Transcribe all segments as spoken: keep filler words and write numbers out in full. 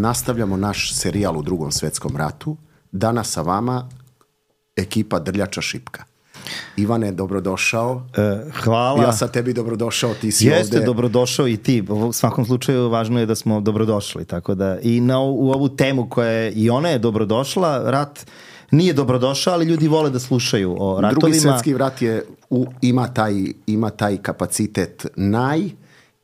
nastavljamo naš serijal u Drugom svetskom ratu. Danas sa vama ekipa Drljača Šipka. Ivane, dobrodošao. E, hvala. Ja sa tebi dobrodošao, ti si Jeste, ovde. dobrodošao i ti. U svakom slučaju važno je da smo dobrodošli. Tako da i na, u ovu temu koja je, i ona je dobrodošla, rat nije dobrodošao, ali ljudi vole da slušaju o ratovima. Drugi svjetski rat je, u, ima, taj, ima taj kapacitet naj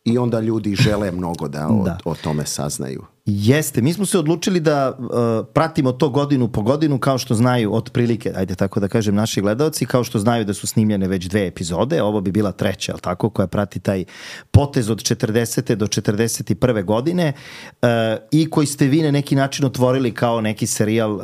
i onda ljudi žele mnogo da o, da. o tome saznaju. Jeste, mi smo se odlučili da uh, pratimo to godinu po godinu, kao što znaju otprilike, ajde tako da kažem, naši gledaoci, kao što znaju da su snimljene već dve epizode, ovo bi bila treća, ali tako, koja prati taj potez od četrdesete do četrdeset prve godine uh, i koji ste vi na neki način otvorili kao neki serijal uh,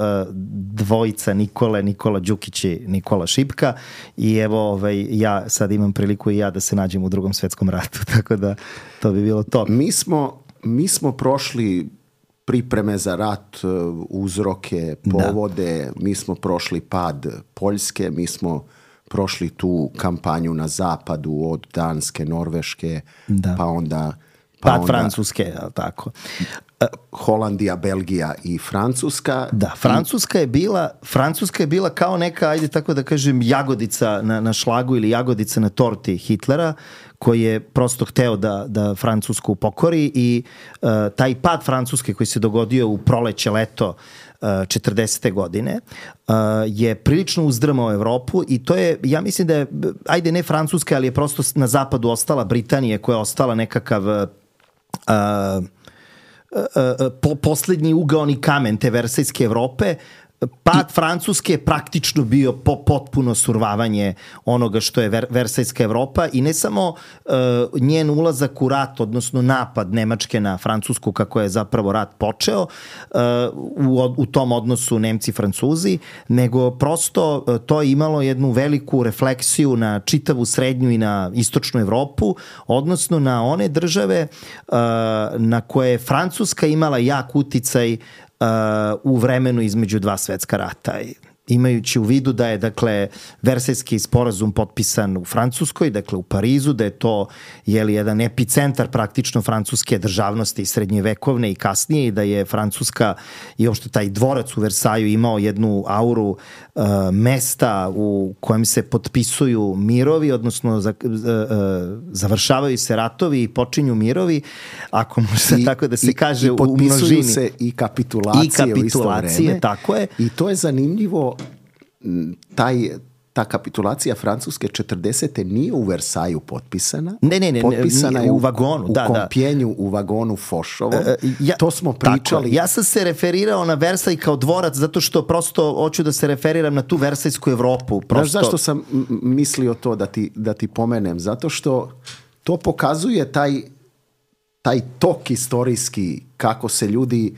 dvojica Nikole, Nikola Đukić i Nikola Šipka, i evo ovaj, ja sad imam priliku i ja da se nađem u Drugom svetskom ratu, tako da to bi bilo to. Mi smo Mi smo prošli pripreme za rat, uzroke, povode, da. Mi smo prošli pad Poljske, mi smo prošli tu kampanju na zapadu od Danske, Norveške, da. pa onda... Pa pad onda Francuske, tako. Holandija, Belgija i Francuska. Da, Francuska je bila, Francuska je bila kao neka, ajde tako da kažem, jagodica na, na šlagu ili jagodica na torti Hitlera, koji je prosto hteo da, da Francusku pokori, i uh, taj pad Francuske koji se dogodio u proleće, leto uh, četrdesete godine uh, je prilično uzdrmao Evropu, i to je, ja mislim da je, ajde ne Francuska, ali je prosto na zapadu ostala Britanija, koja je ostala nekakav uh, uh, Po, poslednji ugaoni kamen te versajske Evrope. Pad I, Francuske je praktično bio po, potpuno survavanje onoga što je ver, Versajska Evropa, i ne samo uh, njen ulazak u rat, odnosno napad Nemačke na Francusku, kako je zapravo rat počeo uh, u, u tom odnosu Nemci-Francuzi, nego prosto uh, to je imalo jednu veliku refleksiju na čitavu srednju i na istočnu Evropu, odnosno na one države uh, na koje je Francuska imala jak uticaj Uh, u vremenu između dva svetska rata. Imajući u vidu da je, dakle, Versajski sporazum potpisan u Francuskoj, dakle u Parizu, da je to, jeli, jedan epicentar praktično francuske državnosti srednjevekovne i kasnije, i da je Francuska i uopšte taj dvorac u Versaju imao jednu auru uh, mesta u kojem se potpisuju mirovi, odnosno za, uh, uh, završavaju se ratovi i počinju mirovi, ako može tako da se i, kaže i u množini. I potpisuju se i kapitulacije, I kapitulacije, u isto vreme. Tako je. I to je zanimljivo. Taj, ta kapitulacija Francuske četrdesete nije u Versaju potpisana. Ne, ne, ne, potpisana je u vagonu, u, da, u da. Kompjenju, u vagonu Fošovom. E, ja, to smo pričali. Tako, ja sam se referirao na Versaj kao dvorac, zato što prosto hoću da se referiram na tu Versajsku Evropu. Prosto... Znaš zašto sam mislio to da ti, da ti pomenem? Zato što to pokazuje taj, taj tok istorijski, kako se ljudi,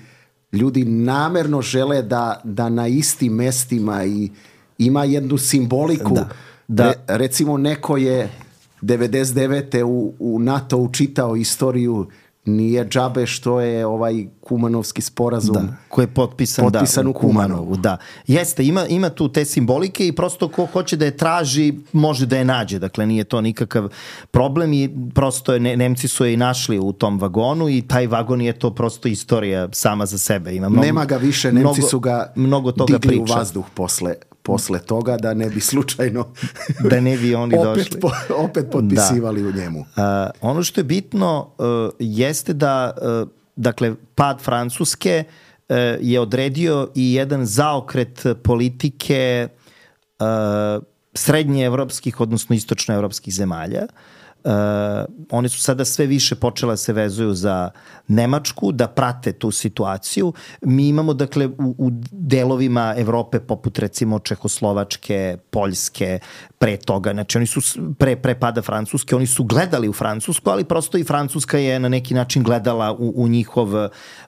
ljudi namerno žele da, da na istim mestima i ima jednu simboliku. Da, da. Re, recimo neko je devedeset devete u, u NATO učitao istoriju, nije džabe što je ovaj Kumanovski sporazum, da, koji je potpisan, potpisan da, u Kumanovu. Da. Jeste, ima, ima tu te simbolike, i prosto ko hoće da je traži, može da je nađe. Dakle, nije to nikakav problem, i prosto je, ne, Nemci su je i našli u tom vagonu, i taj vagon je to prosto istorija sama za sebe. Ima mnogo, nema ga više, Nemci mnogo, su ga mnogo toga digli priča. u vazduh posle posle toga, da ne bi slučajno da ne bi oni opet, došli. Po, opet potpisivali da. u njemu. Uh, ono što je bitno uh, jeste da uh, dakle, pad Francuske uh, je odredio i jedan zaokret politike uh, srednjeevropskih, odnosno istočnoevropskih zemalja. Uh, one su sada sve više počela se vezuju za Nemačku, da prate tu situaciju. Mi imamo, dakle, u, u delovima Evrope, poput recimo Čehoslovačke, Poljske, pre toga, znači oni su pre, pre pada Francuske, oni su gledali u Francusku, ali prosto i Francuska je na neki način gledala u, u, njihov,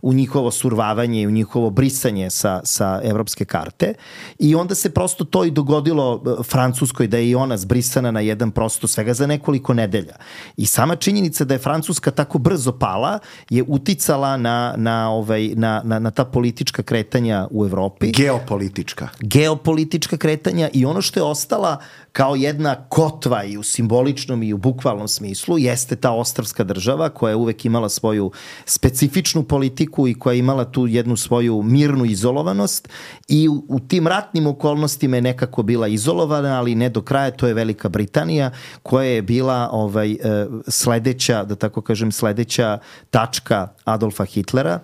u njihovo survavanje i u njihovo brisanje sa, sa evropske karte, i onda se prosto to i dogodilo Francuskoj, da je i ona zbrisana na jedan prosto svega za nekoliko nedelja. I sama činjenica da je Francuska tako brzo pala je uticala na, na, ovaj, na, na, na ta politička kretanja u Evropi. Geopolitička. Geopolitička kretanja, i ono što je ostala kao jedna kotva i u simboličnom i u bukvalnom smislu jeste ta ostrvska država koja je uvek imala svoju specifičnu politiku i koja je imala tu jednu svoju mirnu izolovanost i u, u tim ratnim okolnostima je nekako bila izolovana, ali ne do kraja. To je Velika Britanija koja je bila ovaj, sledeća, da tako kažem, sledeća tačka Adolfa Hitlera.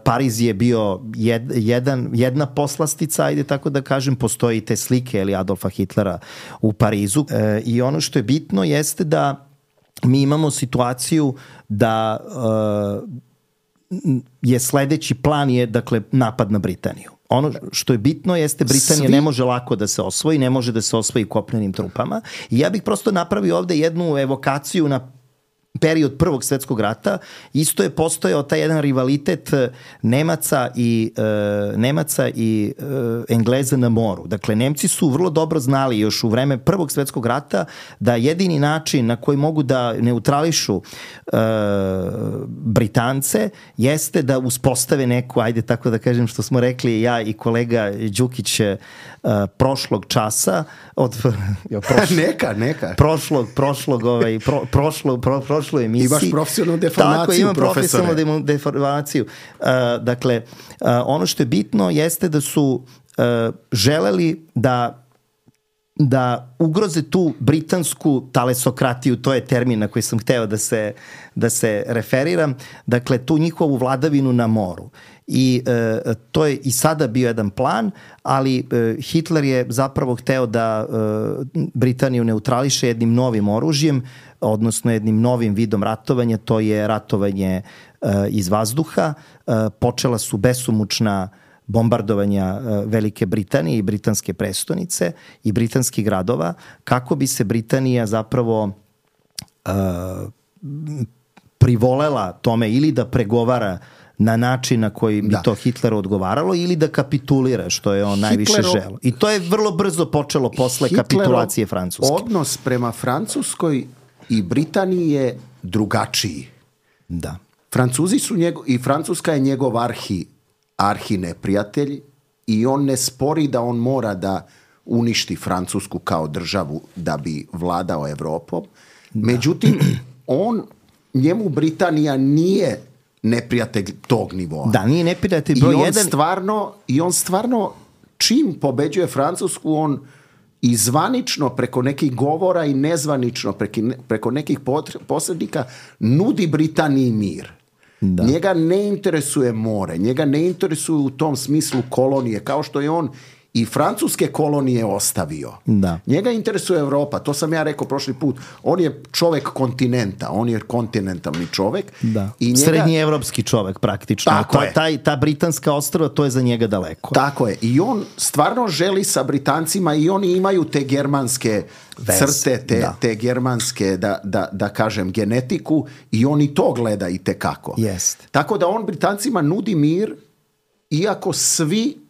Pariz je bio jed, jedan, jedna poslastica, ajde tako da kažem, postoji i te slike ili Adolfa Hitlera u Parizu. E, I ono što je bitno jeste da mi imamo situaciju da e, je sledeći plan je, dakle, napad na Britaniju. Ono što je bitno jeste Britanija Svi... ne može lako da se osvoji, ne može da se osvoji kopnenim trupama. I ja bih prosto napravio ovde jednu evokaciju na period Prvog svetskog rata. Isto je postojao taj jedan rivalitet Nemaca i e, Nemaca i e, Engleza na moru. Dakle, Nemci su vrlo dobro znali još u vreme Prvog svetskog rata da jedini način na koji mogu da neutrališu e, Britance jeste da uspostave neku, ajde tako da kažem, što smo rekli ja i kolega Đukić e, prošlog časa od jo, prošlo, neka, neka. Prošlog, prošlog, ovaj, pro, prošlog, pro, prošloj emisiji. Imaš profesionalnu deformaciju, tako, imam profesore. profesionalnu deformaciju. Uh, dakle, uh, ono što je bitno jeste da su uh, želeli da da ugroze tu britansku talesokratiju, to je termin na koji sam hteo da se, da se referiram, dakle tu njihovu vladavinu na moru. I e, to je i sada bio jedan plan, ali e, Hitler je zapravo hteo da e, Britaniju neutrališe jednim novim oružjem, odnosno jednim novim vidom ratovanja, to je ratovanje e, iz vazduha. E, počela su besomučna bombardovanja Velike Britanije i britanske prestonice i britanskih gradova, kako bi se Britanija zapravo uh, privolela tome ili da pregovara na način na koji bi da. to Hitleru odgovaralo ili da kapitulira, što je on Hitlerov, najviše želeo. I to je vrlo brzo počelo posle Hitlerov kapitulacije Francuske. Odnos prema Francuskoj i Britaniji je drugačiji. Da. Francuzi su njego, i Francuska je njegov arhi arhi neprijatelj i on ne spori da on mora da uništi Francusku kao državu da bi vladao Evropom. Da. Međutim, on, njemu Britanija nije neprijatelj tog nivoa. Da, nije neprijatelj broj I on jedan. Stvarno, I on stvarno, čim pobeđuje Francusku, on i zvanično preko nekih govora i nezvanično preko, preko nekih posrednika nudi Britaniji mir. Da. Njega ne interesuje more, njega ne interesuju u tom smislu kolonije, kao što je on i francuske kolonije ostavio. Da. Njega interesuje Evropa, to sam ja rekao prošli put. On je čovek kontinenta, on je kontinentalni čovek. Da. I njega... Srednji evropski čovek praktično. Tako to, je. Taj, ta britanska ostrva, to je za njega daleko. Tako je. I on stvarno želi sa Britancima i oni imaju te germanske Vez. crte, te, da. te germanske, da, da, da kažem, genetiku i on i to gleda i tekako. Jest. Tako da on Britancima nudi mir, iako svi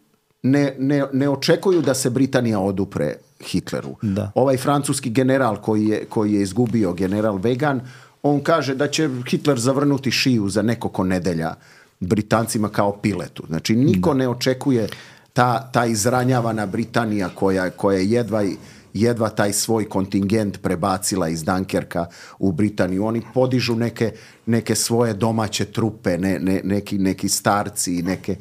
Ne, ne, ne očekuju da se Britanija odupre Hitleru. Da. Ovaj francuski general koji je, koji je izgubio, general Vegan, on kaže da će Hitler zavrnuti šiju za nekoliko nedelja Britancima kao piletu. Znači niko da. ne očekuje ta, ta izranjavana Britanija koja, koja je jedva, jedva taj svoj kontingent prebacila iz Dunkerka u Britaniju. Oni podižu neke, neke svoje domaće trupe, ne, ne, neki, neki starci, neke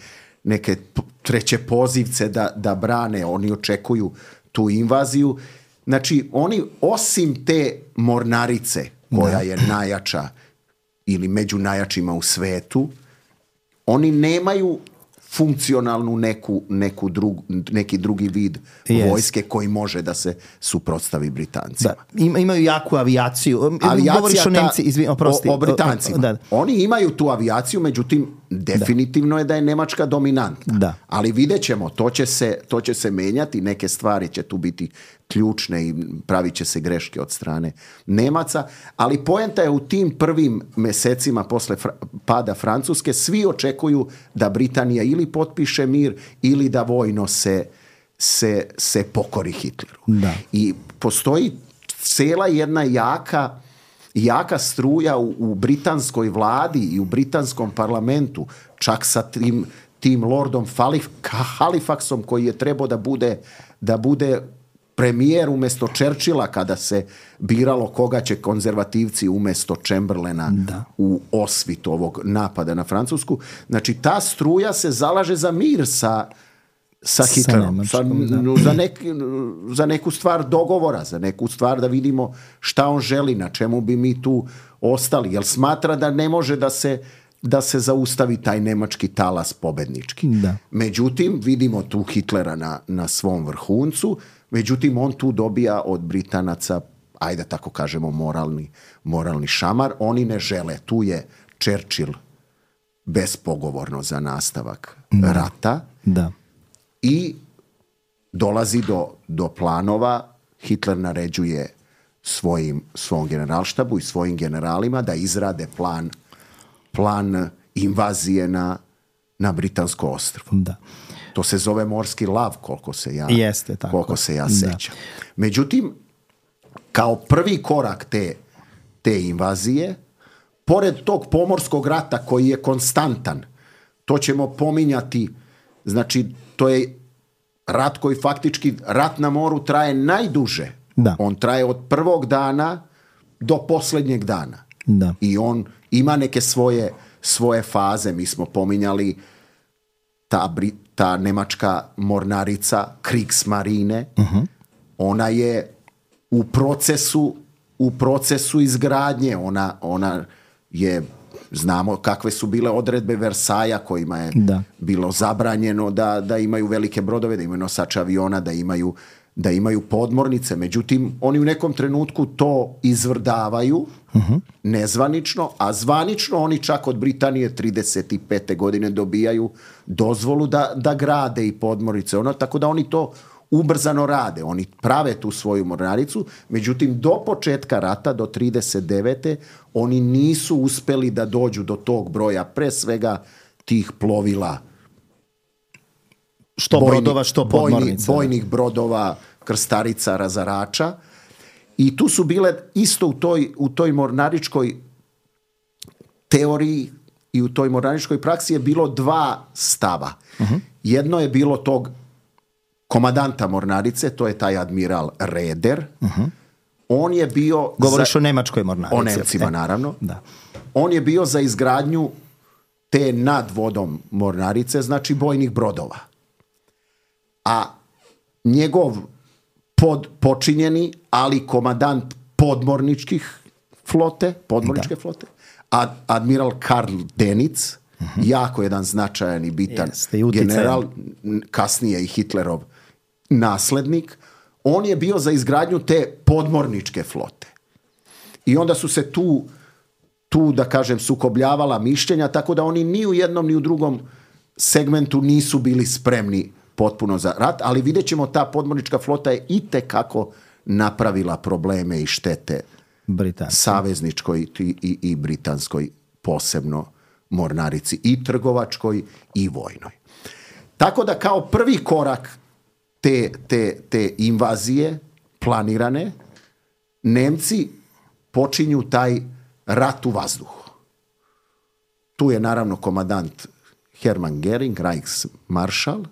neke treće pozivce da, da brane, oni očekuju tu invaziju. Znači, oni osim te mornarice, koja da. je najjača ili među najjačima u svetu, oni nemaju funkcionalnu neku, neku drug, neki drugi vid yes. vojske koji može da se suprotstavi Britancima. Da. Ima, imaju jaku avijaciju. Avijacija o Nemci, izvin, oprosti. O, o Britancima. Da. Oni imaju tu avijaciju, međutim, definitivno da. je da je Nemačka dominantna. Da. Ali vidjet ćemo, to će, se, to će se menjati, neke stvari će tu biti ključne i pravit će se greške od strane Nemaca, ali poenta je u tim prvim mesecima posle fra- pada Francuske, svi očekuju da Britanija ili potpiše mir ili da vojno se, se, se pokori Hitleru. Da. I postoji cela jedna jaka, jaka struja u, u britanskoj vladi i u britanskom parlamentu, čak sa tim, tim lordom Halifaxom koji je trebao da bude, da bude premijer umjesto Churchilla kada se biralo koga će konzervativci umjesto Chamberlaina da. u osvit ovog napada na Francusku. Znači ta struja se zalaže za mir sa, sa Hitlerom, sa, za, nek, za neku stvar dogovora, za neku stvar da vidimo šta on želi, na čemu bi mi tu ostali, jer smatra da ne može da se da se zaustavi taj nemački talas pobednički. Da. Međutim, vidimo tu Hitlera na, na svom vrhuncu, međutim, on tu dobija od Britanaca, ajde tako kažemo, moralni, moralni šamar. Oni ne žele. Tu je Churchill bespogovorno za nastavak da. rata. Da. I dolazi do, do planova. Hitler naređuje svojim, svom generalštabu i svojim generalima da izrade plan plan invazije na, na Britansko ostrvo. Da. To se zove morski lav, koliko se ja, Jeste, tako. koliko se ja sećam. Međutim, kao prvi korak te, te invazije, pored tog pomorskog rata koji je konstantan, to ćemo pominjati, znači to je rat koji faktički, rat na moru traje najduže. Da. On traje od prvog dana do posljednjeg dana. Da. I on ima neke svoje, svoje faze. Mi smo pominjali ta, ta nemačka mornarica Kriegsmarine. Uh-huh. Ona je u procesu u procesu izgradnje. Ona, ona je, znamo kakve su bile odredbe Versaja kojima je da. bilo zabranjeno da, da imaju velike brodove, da imaju nosače aviona, da imaju da imaju podmornice. Međutim, oni u nekom trenutku to izvrdavaju uh-huh. nezvanično, a zvanično oni čak od Britanije trideset pete godine dobijaju dozvolu da, da grade i podmornice. Ono, tako da oni to ubrzano rade. Oni prave tu svoju mornaricu, međutim, do početka rata, do trideset devete oni nisu uspeli da dođu do tog broja, pre svega tih plovila, što bojni, brodova, što podmornica. Bojni, bojnih brodova, krstarica, razarača. I tu su bile isto u toj, u toj mornaričkoj teoriji i u toj mornaričkoj praksi je bilo dva stava. Uh-huh. Jedno je bilo tog komadanta mornarice, to je taj admiral Raeder. Uh-huh. On je bio... Govoriš za, o nemačkoj mornarici. O Nemcima, e. naravno. Da. On je bio za izgradnju te nad vodom mornarice, znači bojnih brodova. A njegov pod, počinjeni, ali komadant podmorničkih flote, podmorničke da. flote, ad, admiral Karl Dönitz, uh-huh. jako jedan značajan i bitan Jeste, general, kasnije i Hitlerov naslednik, on je bio za izgradnju te podmorničke flote. I onda su se tu, tu da kažem, sukobljavala mišljenja, tako da oni ni u jednom ni u drugom segmentu nisu bili spremni potpuno za rat, ali vidjet ćemo, ta podmornička flota je itekako napravila probleme i štete Britanskoj. savezničkoj i, i, i britanskoj, posebno mornarici, i trgovačkoj i vojnoj. Tako da kao prvi korak te, te, te invazije planirane, Nemci počinju taj rat u vazduhu. Tu je naravno komadant Hermann Göring, Reichsmaršal,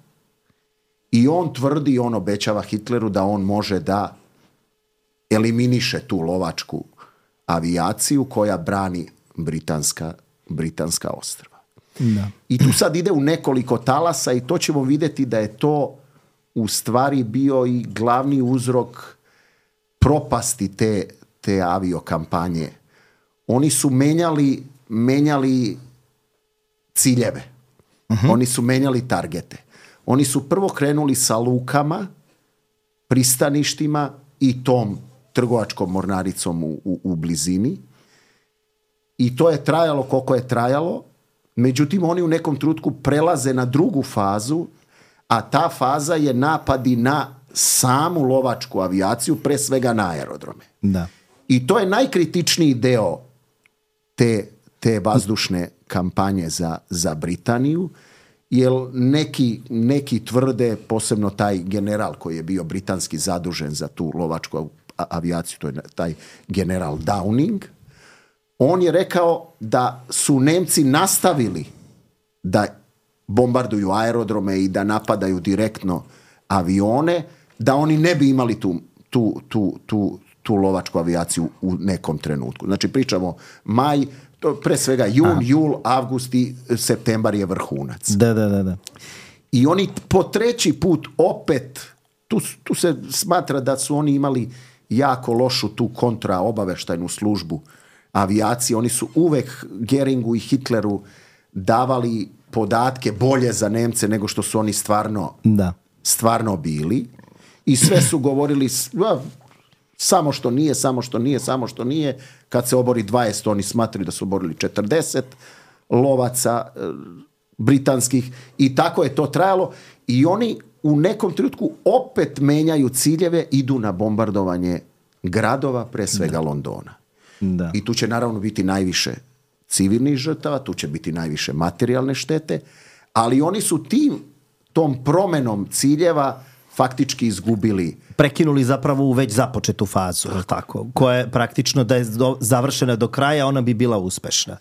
i on tvrdi, on obećava Hitleru da on može da eliminiše tu lovačku avijaciju koja brani britanska, britanska ostrva. Da. I tu sad ide u nekoliko talasa i to ćemo vidjeti da je to u stvari bio i glavni uzrok propasti te, te aviokampanje. Oni su menjali, menjali ciljeve. Uh-huh. Oni su menjali targete. Oni su prvo krenuli sa lukama, pristaništima i tom trgovačkom mornaricom u, u, u blizini. I to je trajalo koliko je trajalo. Međutim, oni u nekom trenutku prelaze na drugu fazu, a ta faza je napadi na samu lovačku avijaciju, pre svega na aerodrome. Da. I to je najkritičniji deo te, te vazdušne kampanje za, za Britaniju, jer neki, neki tvrde, posebno taj general koji je bio britanski zadužen za tu lovačku avijaciju, to je taj general Downing, on je rekao da su Nemci nastavili da bombarduju aerodrome i da napadaju direktno avione da oni ne bi imali tu, tu, tu, tu, tu lovačku avijaciju u nekom trenutku. Znači pričamo maj, to pre svega jun, Aha. jul, avgust i septembar je vrhunac. Da, da, da, da. I oni po treći put opet, tu, tu se smatra da su oni imali jako lošu tu kontraobaveštajnu službu avijacije. Oni su uvek Geringu i Hitleru davali podatke bolje za Nemce nego što su oni stvarno, da. stvarno bili. I sve su govorili a, samo što nije, samo što nije, samo što nije. Kad se obori dvadeset, oni smatraju da su oborili četrdeset lovaca e, britanskih i tako je to trajalo. I oni u nekom trenutku opet menjaju ciljeve, idu na bombardovanje gradova, pre svega da. Londona. Da. I tu će naravno biti najviše civilnih žrtava, tu će biti najviše materijalne štete, ali oni su tim, tom promenom ciljeva faktički izgubili. Prekinuli zapravo u već započetu fazu, tako, koja je praktično da je do, završena do kraja, ona bi bila uspešna.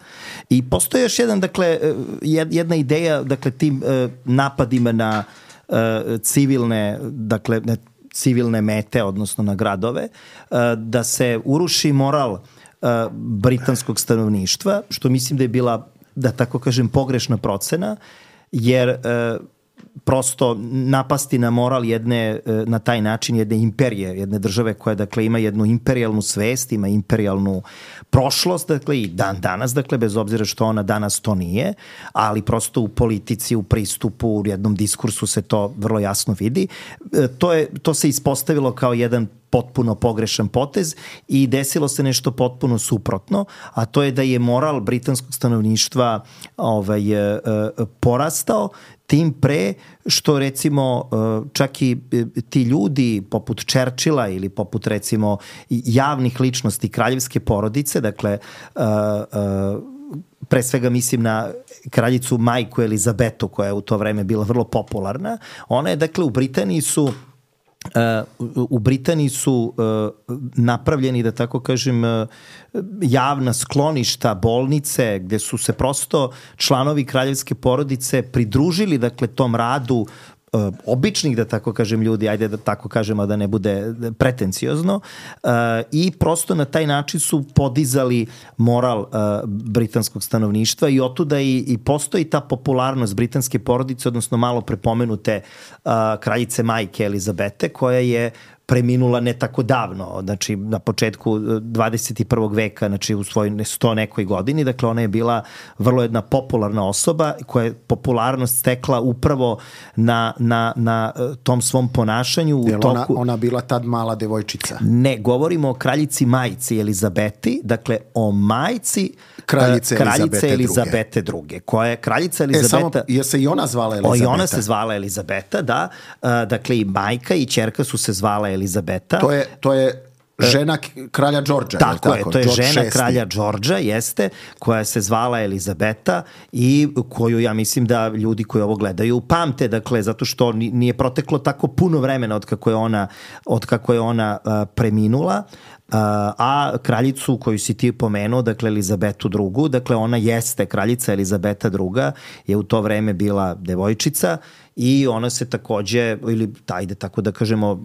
I postoji još jedan, dakle, jedna ideja, dakle, tim napadima na civilne, dakle, civilne mete, odnosno na gradove, da se uruši moral britanskog stanovništva, što mislim da je bila, da tako kažem, pogrešna procena, jer prosto napasti na moral jedne, na taj način jedne imperije, jedne države koja dakle ima jednu imperijalnu svest, ima imperijalnu prošlost, dakle i dan danas, dakle bez obzira što ona danas to nije, ali prosto u politici, u pristupu, u jednom diskursu se to vrlo jasno vidi. To, je, to se ispostavilo kao jedan potpuno pogrešan potez i desilo se nešto potpuno suprotno, a to je da je moral britanskog stanovništva ovaj, porastao, tim pre što recimo čak i ti ljudi poput Churchilla ili poput recimo javnih ličnosti kraljevske porodice, dakle pre svega mislim na kraljicu majku Elizabetu koja je u to vreme bila vrlo popularna, ona je dakle u Britaniji su Uh, u Britaniji su uh, napravljeni, da tako kažem, uh, javna skloništa, bolnice, gde su se prosto članovi kraljevske porodice pridružili, dakle, tom radu uh, običnih, da tako kažem, ljudi, ajde da tako kažemo da ne bude pretenciozno, uh, i prosto na taj način su podizali moral uh, britanskog stanovništva i otuda i, i postoji ta popularnost britanske porodice, odnosno malo prepomenute uh, kraljice majke Elizabete, koja je preminula ne tako davno, znači na početku dvadeset prvog veka, znači u svojoj sto nekoj godini, dakle ona je bila vrlo jedna popularna osoba koja je popularnost stekla upravo na, na, na tom svom ponašanju. U Jel toku... ona, ona bila tad mala devojčica? Ne, govorimo o kraljici majci Elizabeti, dakle o majci kraljice, kraljice Elizabete, Elizabete druge, koja je kraljica Elizabeta... E, samo, je se i ona zvala Elizabeta? O, i ona se zvala Elizabeta, da. Dakle, i majka i ćerka su se zvala Elizabeta. To je, to je žena kralja Đorđa. Tako je, tako? to je George žena šesti. kralja Đorđa, jeste, koja se zvala Elizabeta i koju ja mislim da ljudi koji ovo gledaju pamte, dakle, zato što nije proteklo tako puno vremena od kako je ona, od kako je ona uh, preminula. Uh, a kraljicu koju si ti pomenuo, dakle Elizabetu drugu, dakle ona jeste kraljica Elizabeta druga, je u to vreme bila devojčica i ona se takođe, ili ajde tako da kažemo, uh,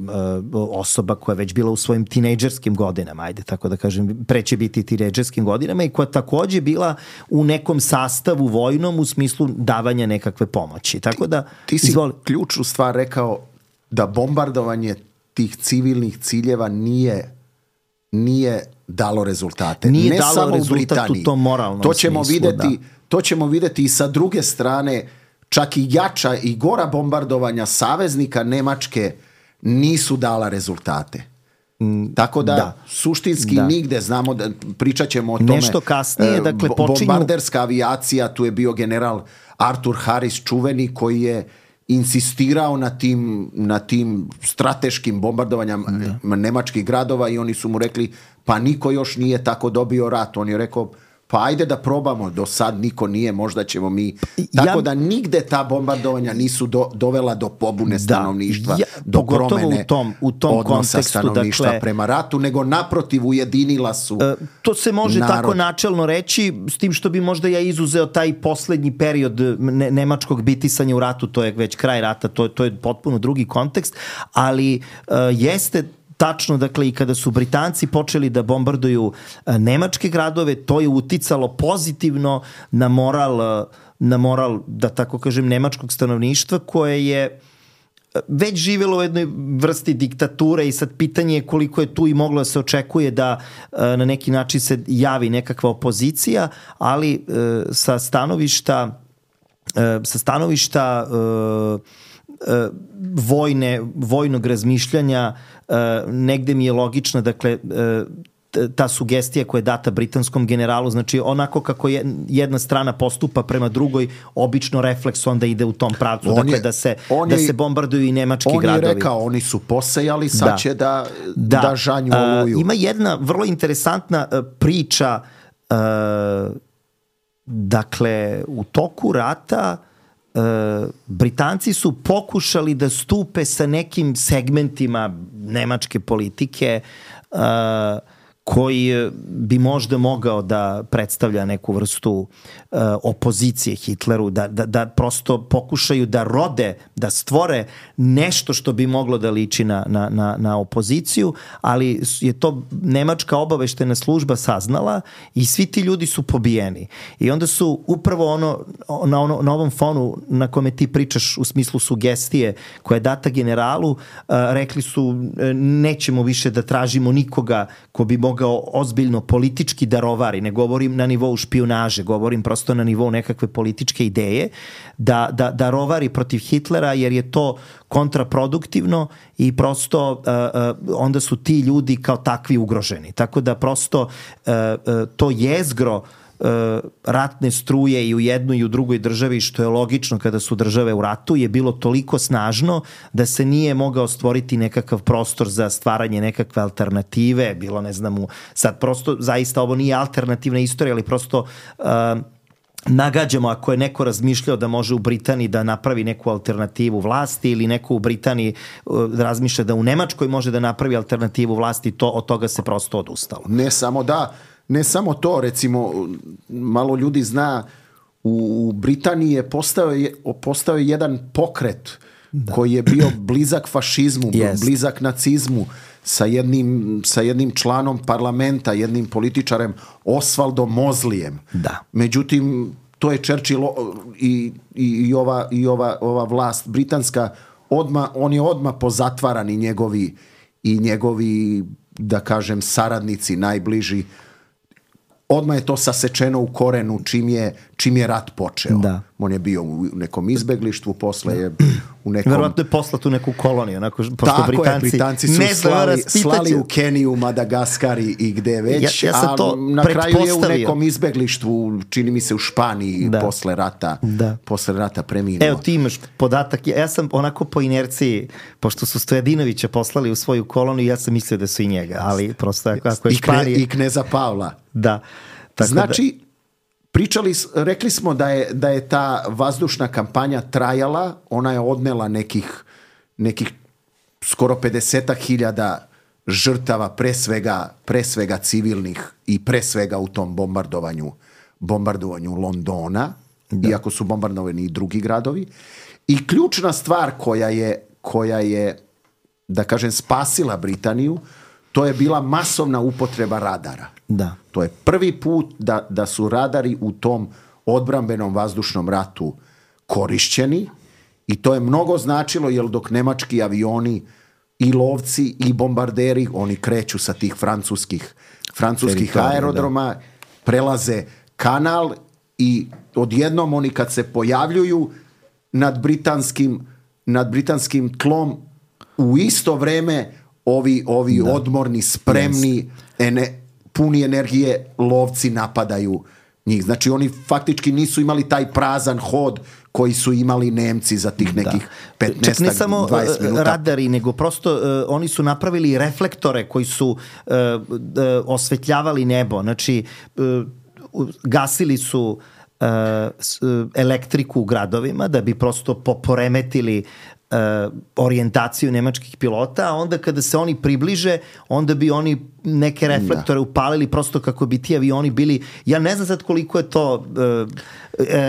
osoba koja je već bila u svojim tinejdžerskim godinama, ajde tako da kažem, preće biti tinejdžerskim godinama i koja takođe bila u nekom sastavu vojnom u smislu davanja nekakve pomoći. Tako da, ti si izvoli. Ključnu stvar rekao da bombardovanje tih civilnih ciljeva nije nije dalo rezultate. Nije ne dalo samo rezultat u Britaniji. U tom moralnom to ćemo smislu, videti, da. To ćemo videti i sa druge strane, čak i jača i gora bombardovanja saveznika Nemačke nisu dala rezultate. Mm, Tako da, da. suštinski da. nigde, znamo da pričat ćemo o tome. Nešto kasnije, dakle, počinju... Bombarderska avijacija, tu je bio general Arthur Harris čuveni koji je insistirao na tim, na tim strateškim bombardovanjama da. nemačkih gradova i oni su mu rekli pa niko još nije tako dobio rat. On je rekao pa ajde da probamo, do sad niko nije, možda ćemo mi. Tako ja, da nigde ta bombardovanja nisu do, dovela do pobune stanovništva, ja, do promene u tom, u tom odnosa stanovništva dakle, prema ratu, nego naprotiv ujedinila su uh, to se može narod. Tako načelno reći, s tim što bi možda ja izuzeo taj poslednji period ne, nemačkog bitisanja u ratu, to je već kraj rata, to, to je potpuno drugi kontekst, ali uh, jeste tačno, dakle, i kada su Britanci počeli da bombarduju nemačke gradove, to je uticalo pozitivno na moral, na moral, da tako kažem, nemačkog stanovništva, koje je već živelo u jednoj vrsti diktature i sad pitanje je koliko je tu i moglo da se očekuje da na neki način se javi nekakva opozicija, ali sa stanovišta sa stanovišta vojne, vojnog razmišljanja negde mi je logična, dakle, ta sugestija koja je data britanskom generalu, znači onako kako je jedna strana postupa prema drugoj, obično refleks onda ide u tom pravcu, on dakle je, da se da je, se bombarduju i nemački on gradovi. On je rekao, oni su posejali, sad da. će da, da. da žanju oluju. Uh, ima jedna vrlo interesantna uh, priča, uh, dakle, u toku rata Uh, Britanci su pokušali da stupe sa nekim segmentima nemačke politike uh, koji bi možda mogao da predstavlja neku vrstu uh, opozicije Hitleru, da, da, da prosto pokušaju da rode, da stvore nešto što bi moglo da liči na, na, na, na opoziciju, ali je to nemačka obaveštena služba saznala i svi ti ljudi su pobijeni. I onda su upravo ono, na, ono, na ovom fonu na kome ti pričaš u smislu sugestije koja je data generalu, uh, rekli su nećemo više da tražimo nikoga ko bi mogao ozbiljno politički da rovari, ne govorim na nivou špijunaže, govorim prosto na nivou nekakve političke ideje, da, da, da rovari protiv Hitlera, jer je to kontraproduktivno i prosto uh, uh, onda su ti ljudi kao takvi ugroženi. Tako da prosto uh, uh, to jezgro ratne struje i u jednoj i u drugoj državi, što je logično kada su države u ratu, je bilo toliko snažno da se nije mogao stvoriti nekakav prostor za stvaranje nekakve alternative, bilo ne znam, sad prosto zaista ovo nije alternativna istorija, ali prosto uh, nagađamo ako je neko razmišljao da može u Britaniji da napravi neku alternativu vlasti ili neko u Britaniji uh, razmišlja da u Nemačkoj može da napravi alternativu vlasti, to, od toga se prosto odustalo. Ne samo da Ne samo to, recimo, malo ljudi zna, u Britaniji je postao, postao jedan pokret da. koji je bio blizak fašizmu, yes. blizak nacizmu, sa jednim, sa jednim članom parlamenta, jednim političarem, Osvaldom Mozlijem. Da. Međutim, to je Churchill i, i, i, ova, i ova, ova vlast britanska, odma, on je odmah pozatvaran i njegovi, i njegovi, da kažem, saradnici najbliži. Odmah je to sasečeno u korenu čim je, čim je rat počeo. Da. On je bio u nekom izbeglištvu, posle je u nekom... Verovatno je poslat u neku koloniju. Onako, pošto tako Britanci, je, Britanci su slali, slali u Keniju, Madagaskar i gde već, ja, ja sam to a na kraju je u nekom izbeglištvu, čini mi se u Španiji, da. posle rata, da. posle rata preminuo. Evo ti imaš podatak, ja sam onako po inerciji, pošto su Stojadinovića poslali u svoju koloniju, ja sam mislio da su i njega, ali prosto ako je Španija... I kneza Pavla. Da. Tako znači, da... pričali, rekli smo da je, da je ta vazdušna kampanja trajala, ona je odnela nekih, nekih skoro pedeset hiljada žrtava, pre svega, pre svega civilnih i pre svega u tom bombardovanju, bombardovanju Londona, da. iako su bombardovani i drugi gradovi. I ključna stvar koja je, koja je, da kažem, spasila Britaniju, to je bila masovna upotreba radara. Da. To je prvi put da, da su radari u tom odbrambenom vazdušnom ratu korišćeni i to je mnogo značilo, jer dok nemački avioni i lovci i bombarderi, oni kreću sa tih francuskih, francuskih aerodroma, da. prelaze kanal i odjednom oni kad se pojavljuju nad britanskim, nad britanskim tlom, u isto vreme ovi, ovi da. odmorni, spremni, ene, puni energije lovci napadaju njih. Znači oni faktički nisu imali taj prazan hod koji su imali Nemci za tih nekih petnaest do dvadeset minuta. Čak ne samo radari, nego prosto uh, oni su napravili reflektore koji su uh, uh, osvetljavali nebo. Znači uh, gasili su uh, elektriku u gradovima da bi prosto poremetili uh, orijentaciju nemačkih pilota, a onda kada se oni približe, onda bi oni neke reflektore da. upalili prosto kako bi ti avioni bili, ja ne znam sad koliko je to uh,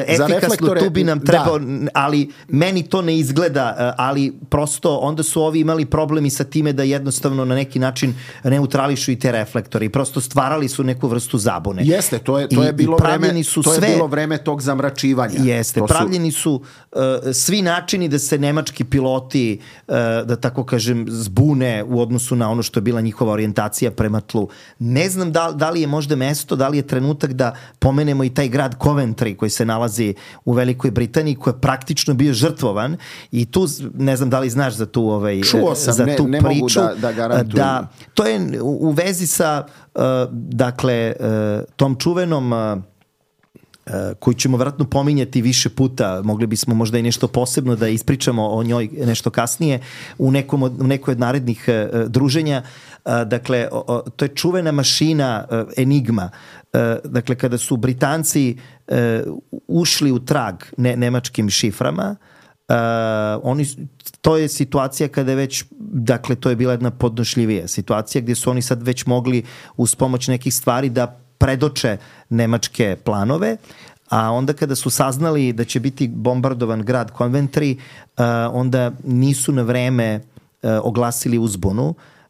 efikasno, tu bi nam trebao, da. ali meni to ne izgleda, ali prosto onda su ovi imali problemi sa time da jednostavno na neki način neutrališu i te reflektore i prosto stvarali su neku vrstu zabune. Jeste, to je, to je, bilo, vreme, to je sve, bilo vreme tog zamračivanja. Jeste, to pravljeni su, su uh, svi načini da se nemački piloti, uh, da tako kažem, zbune u odnosu na ono što je bila njihova orijentacija prema tlu. Ne znam da, da li je možda mesto, da li je trenutak da pomenemo i taj grad Coventry koji se nalazi u Velikoj Britaniji, koji je praktično bio žrtvovan i tu, ne znam da li znaš za tu, ovaj, Čuo sam, za tu ne, ne priču. mogu da, da garantujem. Da, to je u, u vezi sa uh, dakle, uh, tom čuvenom uh, koju ćemo vjerojatno pominjati više puta, mogli bismo možda i nešto posebno da ispričamo o njoj nešto kasnije u, nekom od, u nekoj od narednih uh, druženja. Uh, dakle, o, o, to je čuvena mašina uh, Enigma. Uh, dakle, kada su Britanci uh, ušli u trag ne, nemačkim šiframa, uh, oni, to je situacija kada je već, dakle, to je bila jedna podnošljivija situacija gdje su oni sad već mogli uz pomoć nekih stvari da predoče nemačke planove, a onda kada su saznali da će biti bombardovan grad Coventry, uh, onda nisu na vreme uh, oglasili uzbunu,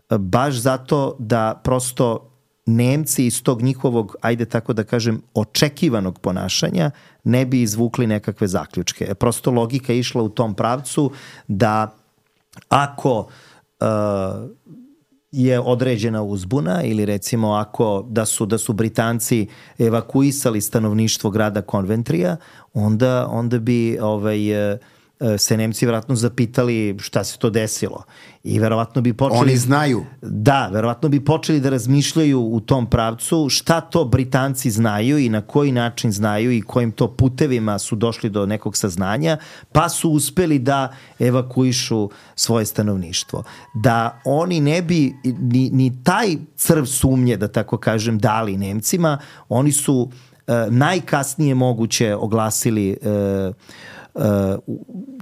uh, baš zato da prosto Nemci iz tog njihovog, ajde tako da kažem, očekivanog ponašanja ne bi izvukli nekakve zaključke. Prosto logika je išla u tom pravcu da ako uh, je određena uzbuna ili recimo ako da su, da su Britanci evakuisali stanovništvo grada Coventryja, onda, onda bi ovaj, se Nemci vjerojatno zapitali šta se to desilo. I verovatno bi počeli... Oni znaju. Da, verovatno bi počeli da razmišljaju u tom pravcu šta to Britanci znaju i na koji način znaju i kojim to putevima su došli do nekog saznanja, pa su uspeli da evakuišu svoje stanovništvo. Da oni ne bi ni, ni taj crv sumnje, da tako kažem, dali Nemcima, oni su uh, najkasnije moguće oglasili uh, uh,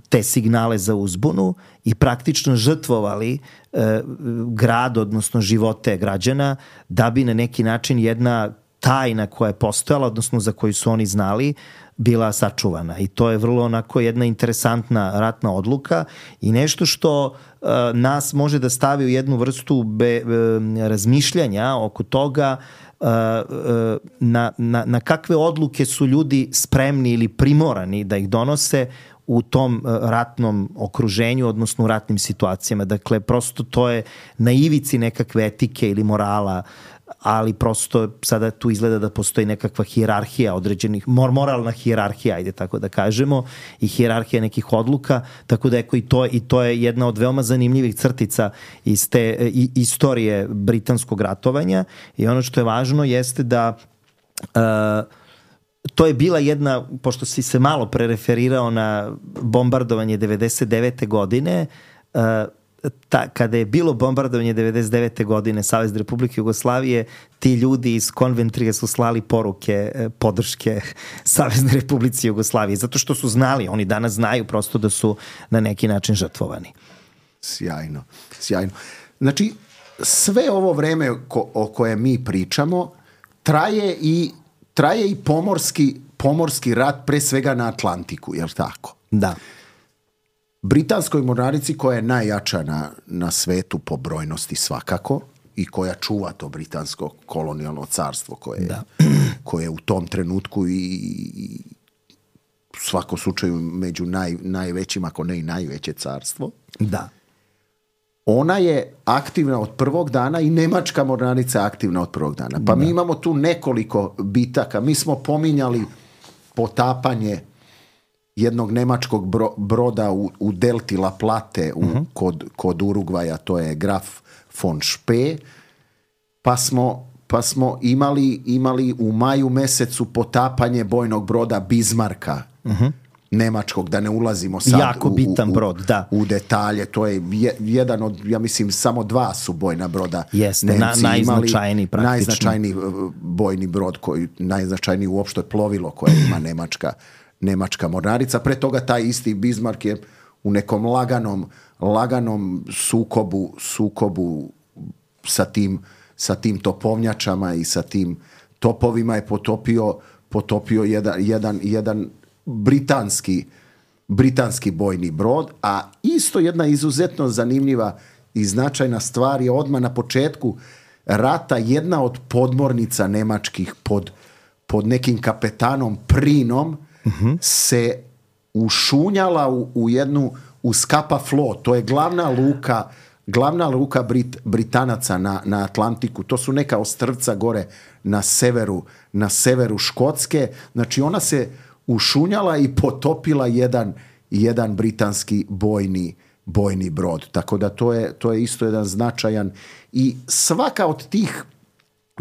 te signale za uzbunu i praktično žrtvovali e, grad, odnosno živote građana, da bi na neki način jedna tajna koja je postojala, odnosno za koju su oni znali, bila sačuvana. I to je vrlo onako jedna interesantna ratna odluka i nešto što e, nas može da stavi u jednu vrstu be, e, razmišljanja oko toga e, e, na, na, na kakve odluke su ljudi spremni ili primorani da ih donose u tom ratnom okruženju, odnosno u ratnim situacijama. Dakle, prosto to je na ivici nekakve etike ili morala, ali prosto sada tu izgleda da postoji nekakva hijerarhija određenih, moralna hijerarhija, ajde tako da kažemo, i hijerarhija nekih odluka, tako da eko i to, i to je jedna od veoma zanimljivih crtica iz te i, istorije britanskog ratovanja i ono što je važno jeste da uh, to je bila jedna, pošto si se malo prereferirao na bombardovanje devedeset devete godine, uh, ta, kada je bilo bombardovanje devedeset devete godine Savezne Republike Jugoslavije, ti ljudi iz Coventryja su slali poruke podrške Savezne Republici Jugoslavije, zato što su znali, oni danas znaju prosto da su na neki način žrtvovani. Sjajno, sjajno. Znači, sve ovo vreme ko, o kojem mi pričamo traje i traje i pomorski, pomorski rat, pre svega na Atlantiku, je li tako? Da. Britanskoj mornarici, koja je najjača na, na svetu po brojnosti svakako i koja čuva to britansko kolonijalno carstvo koje, da. koje je u tom trenutku i, i u svakom slučaju među naj, najvećim, ako ne i najveće carstvo. Da. Ona je aktivna od prvog dana i nemačka mornarica je aktivna od prvog dana. Pa da. Mi imamo tu nekoliko bitaka. Mi smo pominjali potapanje jednog nemačkog bro, broda u, u delti La Plate u, uh-huh. kod, kod Urugvaja, to je Graf von Spee. Pa smo, pa smo imali, imali u maju mesecu potapanje bojnog broda Bismarcka uh-huh. nemačkog, da ne ulazimo sad jako u, bitan u, brod, da. u detalje. To je je, jedan od, ja mislim, samo dva su bojna broda. Jeste, na, najznačajniji praktično. Najznačajniji bojni brod, koji, najznačajniji uopšte plovilo koje ima nemačka, nemačka mornarica. Pre toga taj isti Bismarck je u nekom laganom, laganom sukobu, sukobu sa tim, sa tim topovnjačama i sa tim topovima je potopio, potopio jedan, jedan, jedan britanski, britanski bojni brod, a isto jedna izuzetno zanimljiva i značajna stvar je odmah na početku rata jedna od podmornica nemačkih pod, pod nekim kapetanom Prinom uh-huh. se ušunjala u, u jednu u Scapa Float, to je glavna luka glavna luka Brit, Britanaca na, na Atlantiku, to su neka ostrvca gore na severu, na severu Škotske, znači ona se ušunjala i potopila jedan, jedan britanski bojni, bojni brod, tako da to je, to je isto jedan značajan i svaka od tih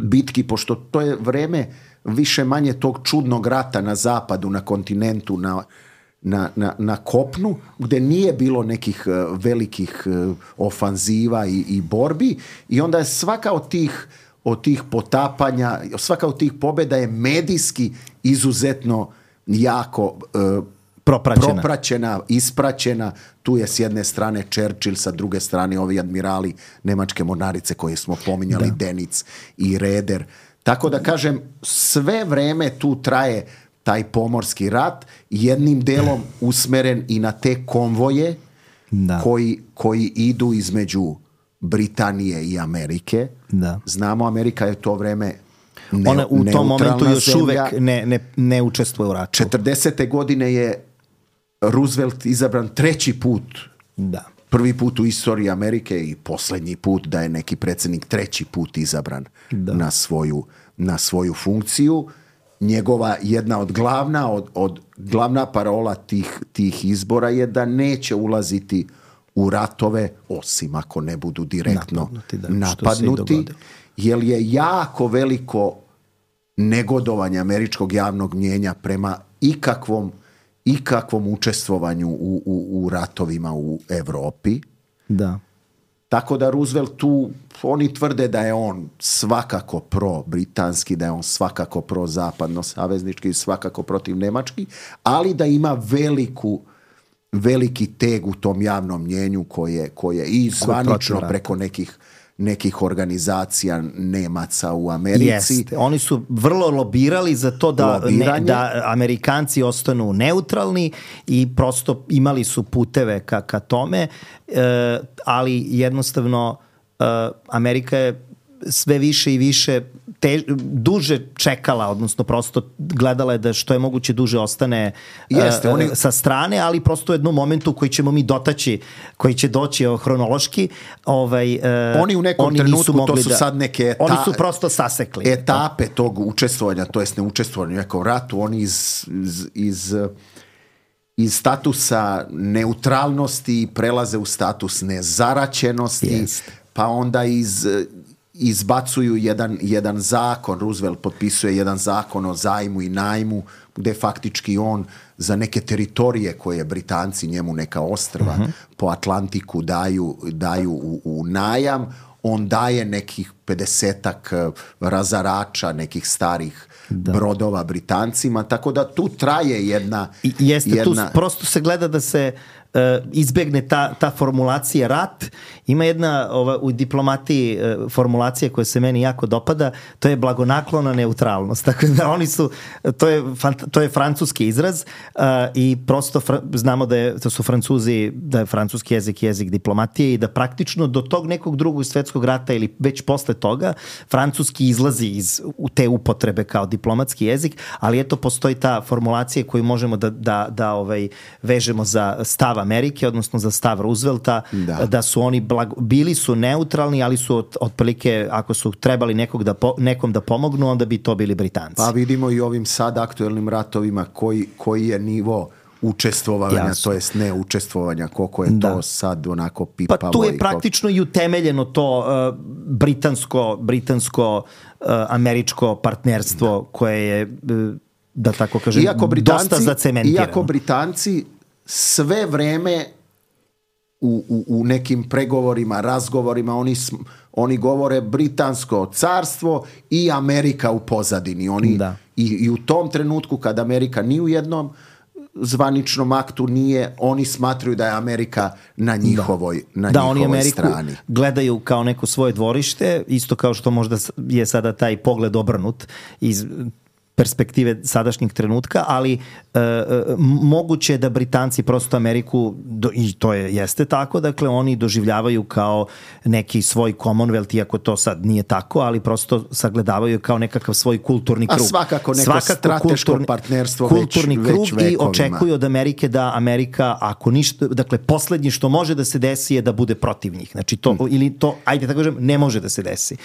bitki, pošto to je vreme više manje tog čudnog rata na zapadu, na kontinentu, na Na, na, na kopnu, gde nije bilo nekih uh, velikih uh, ofanziva i, i borbi i onda je svaka od tih, od tih potapanja, svaka od tih pobjeda je medijski izuzetno jako uh, propraćena. propraćena, ispraćena. Tu je s jedne strane Churchill, sa druge strane ovi admirali nemačke mornarice koje smo pominjali, da. Denic i Reder. Tako da kažem, sve vreme tu traje taj pomorski rat, jednim delom usmeren i na te konvoje da. koji, koji idu između Britanije i Amerike. Da. Znamo, Amerika je to vreme ne, Ona u tom momentu još zemlja. uvek ne, ne, ne učestvuje u ratu. četrdesete godine je Roosevelt izabran treći put. Da. Prvi put u istoriji Amerike i posljednji put da je neki predsjednik treći put izabran da. na svoju, na svoju funkciju. Njegova jedna od glavna, od, od glavna parola tih, tih izbora je da neće ulaziti u ratove, osim ako ne budu direktno napadnuti, da, napadnuti jer je jako veliko negodovanje američkog javnog mnijenja prema ikakvom, ikakvom učestvovanju u, u, u ratovima u Evropi. Da. Tako da Roosevelt tu, oni tvrde da je on svakako pro-britanski, da je on svakako pro-zapadno-saveznički, svakako protiv nemački, ali da ima veliku, veliki teg u tom javnom mnjenju koje, koje i zvanično preko nekih, nekih organizacija Nemaca u Americi. Jeste. Oni su vrlo lobirali za to da, ne, da Amerikanci ostanu neutralni i prosto imali su puteve ka, ka tome, e, ali jednostavno e, Amerika je sve više i više te, duže čekala, odnosno prosto gledala je da što je moguće duže ostane Jeste, uh, oni... sa strane, ali prosto u jednom momentu koji ćemo mi dotaći, koji će doći uh, hronološki. Ovaj, uh, oni u nekom oni trenutku, to su da, sad neke eta... oni su prosto sasekli. Etape tog učestvovanja, to jest neučestvovanja u nekom ratu, oni iz... iz, iz iz statusa neutralnosti prelaze u status nezaraćenosti, yes. pa onda iz... izbacuju jedan, jedan zakon, Roosevelt potpisuje jedan zakon o zajmu i najmu, gde faktički on za neke teritorije koje Britanci njemu neka ostrva uh-huh. po Atlantiku daju, daju u, u najam, on daje nekih pedesetak razarača, nekih starih da. brodova Britancima, tako da tu traje jedna... I, jeste, jedna... tu prosto se gleda da se uh, izbegne ta, ta formulacija rat. Ima jedna ova, u diplomatiji uh, formulacija koja se meni jako dopada, to je blagonaklona neutralnost. Tako da oni su, to je, to je francuski izraz uh, i prosto fra, znamo da, je, da su Francuzi, da je francuski jezik jezik diplomatije i da praktično do tog nekog drugog svjetskog rata ili već posle toga francuski izlazi iz u te upotrebe kao diplomatski jezik, ali eto postoji ta formulacija koju možemo da, da, da ovaj, vežemo za stav Amerike, odnosno za stav Roosevelta, da, da su oni blago, bili su neutralni, ali su od, otprilike, ako su trebali nekog da po, nekom da pomognu, onda bi to bili Britanci. Pa vidimo i ovim sad aktuelnim ratovima koji, koji je nivo učestvovanja, Jasno. to jest ne učestvovanja, koliko je da. to sad onako pipavo. Pa tu je praktično i utemeljeno to uh, britansko, britansko uh, američko partnerstvo da. koje je uh, da tako kažem, iako Britanci, dosta zacementirano. Iako Britanci sve vreme u, u, u nekim pregovorima, razgovorima, oni, oni govore Britansko carstvo i Amerika u pozadini. Oni, da. i, I u tom trenutku kad Amerika ni u jednom zvaničnom aktu nije, oni smatruju da je Amerika na njihovoj, da. na da, njihovoj oni Ameriku strani. Gledaju kao neko svoje dvorište, isto kao što možda je sada taj pogled obrnut iz perspektive sadašnjeg trenutka, ali e, moguće je da Britanci prosto Ameriku, do, i to je, jeste tako, dakle oni doživljavaju kao neki svoj Commonwealth, iako to sad nije tako, ali prosto sagledavaju kao nekakav svoj kulturni krug. A svakako neko svakako strateško kulturni, partnerstvo kulturni već, krug već vekovima. I očekuju od Amerike da Amerika, ako ništa, dakle poslednje što može da se desi je da bude protiv njih. Znači to, hmm. ili to, ajde tako kažem, ne može da se desi.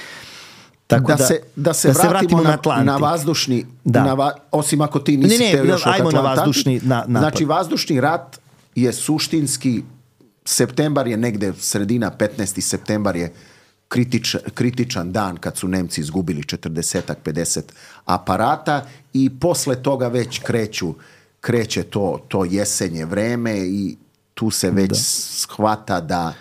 Tako da, da, se, da, se, da vratimo se vratimo na, na, na vazdušni, da. Na va, osim ako ti nisi ne, ne, teo još ajmo na vazdušni na, napad. Znači, vazdušni rat je suštinski, septembar je negde, sredina petnaesti septembar je kritič, kritičan dan kad su Nemci izgubili četrdeset pedeset aparata i posle toga već kreću, kreće to, to jesenje vreme i tu se već da. shvata da,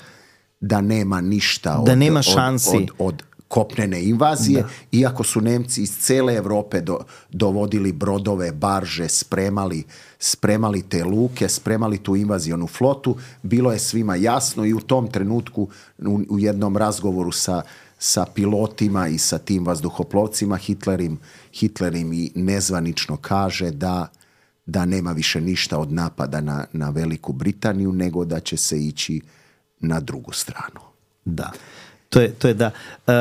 da nema ništa od, da nema šansi od, od, od kopnene invazije, da. Iako su Nemci iz cele Evrope do, dovodili brodove, barže, spremali, spremali te luke, spremali tu invazionu flotu, bilo je svima jasno i u tom trenutku u, u jednom razgovoru sa, sa pilotima i sa tim vazduhoplovcima Hitler im, Hitler im i nezvanično kaže da, da nema više ništa od napada na, na Veliku Britaniju, nego da će se ići na drugu stranu. Da. To je, to je da. E,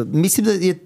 mislim da je e,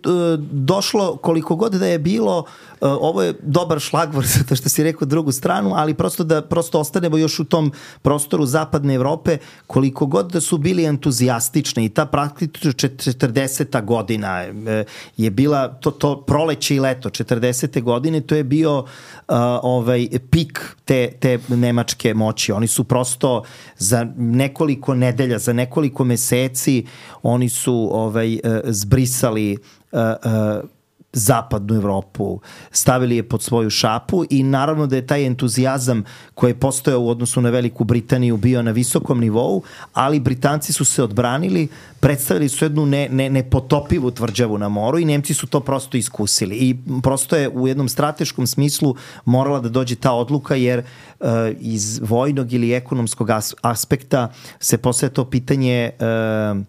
došlo koliko god da je bilo, e, ovo je dobar šlagvor zato što si rekao drugu stranu, ali prosto da prosto ostanemo još u tom prostoru zapadne Evrope, koliko god da su bili entuzijastični i ta praktično četrdeseta godina e, je bila to, to proleće i leto četrdesete godine, to je bio uh, ovaj pik te, te nemačke moći. Oni su prosto za nekoliko nedelja, za nekoliko meseci oni su ovaj zbrisali uh, uh, zapadnu Evropu, stavili je pod svoju šapu i naravno da je taj entuzijazam koji je postojao u odnosu na Veliku Britaniju bio na visokom nivou, ali Britanci su se odbranili, predstavili su jednu ne, ne, nepotopivu tvrđavu na moru i Nemci su to prosto iskusili i prosto je u jednom strateškom smislu morala da dođe ta odluka jer uh, iz vojnog ili ekonomskog as- aspekta se postavlja to pitanje uh,